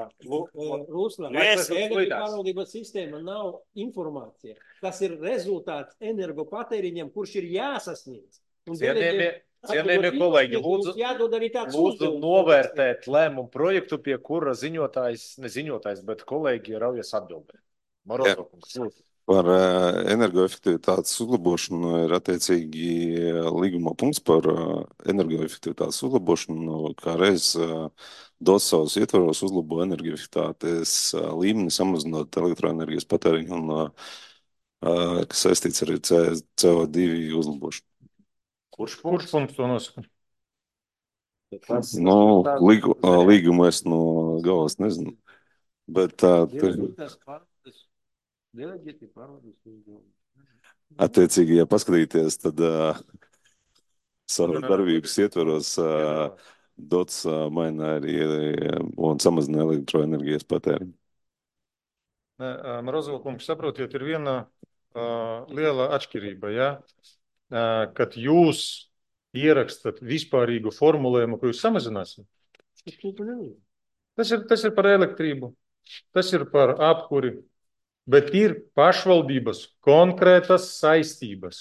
Ruslan, Nu, es- energopārvaldības sistēma nav informācija. Tas ir rezultāts energopatēriņam, kurš ir jāsasniedz. Un Cienījamie, deleģē- cienījamie kolēģi, Mums lūdzu, jādod arī tāds lūdzu uzdevums. novērtēt lēmumu projektu, pie kura ziņotājs, ne ziņotājs, bet kolēģi raujas atbildēt. Morozov kungs, lūdzu. Par ā, energoefektivitātes uzlabošanu ir attiecīgi ā, līguma punkts par ā, energoefektivitātes uzlabošanu, kā reiz ā, dos savus ietvaros uzlabo energoefektivitātes ā, līmeni, samazinot elektroenerģijas patēriņu un ā, ā, kas saistīts arī C- CO2 uzlabošanu. Kurš Kurš punkts to nosaka? Tas, Nu, tā- līgu, ā, līgumu es no galas nezinu, bet tā, te, Deleģēti pārvaldības uzdevumi. attiecīgi, ja paskatīties, tad ā, savas darbības ietvaros ā, dots ā, maina arī ā, un samazina elektroenerģijas patēriņu. Morozov kungs, saprotiet, ir viena uh, liela atšķirība, ja? Uh, kad jūs ierakstat vispārīgu formulējumu, ko jūs samazināsiet. Tas ir, tas ir par elektrību, tas ir par apkuri, bet ir pašvaldības konkrētas saistības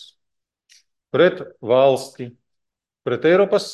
pret valsti, pret Eiropas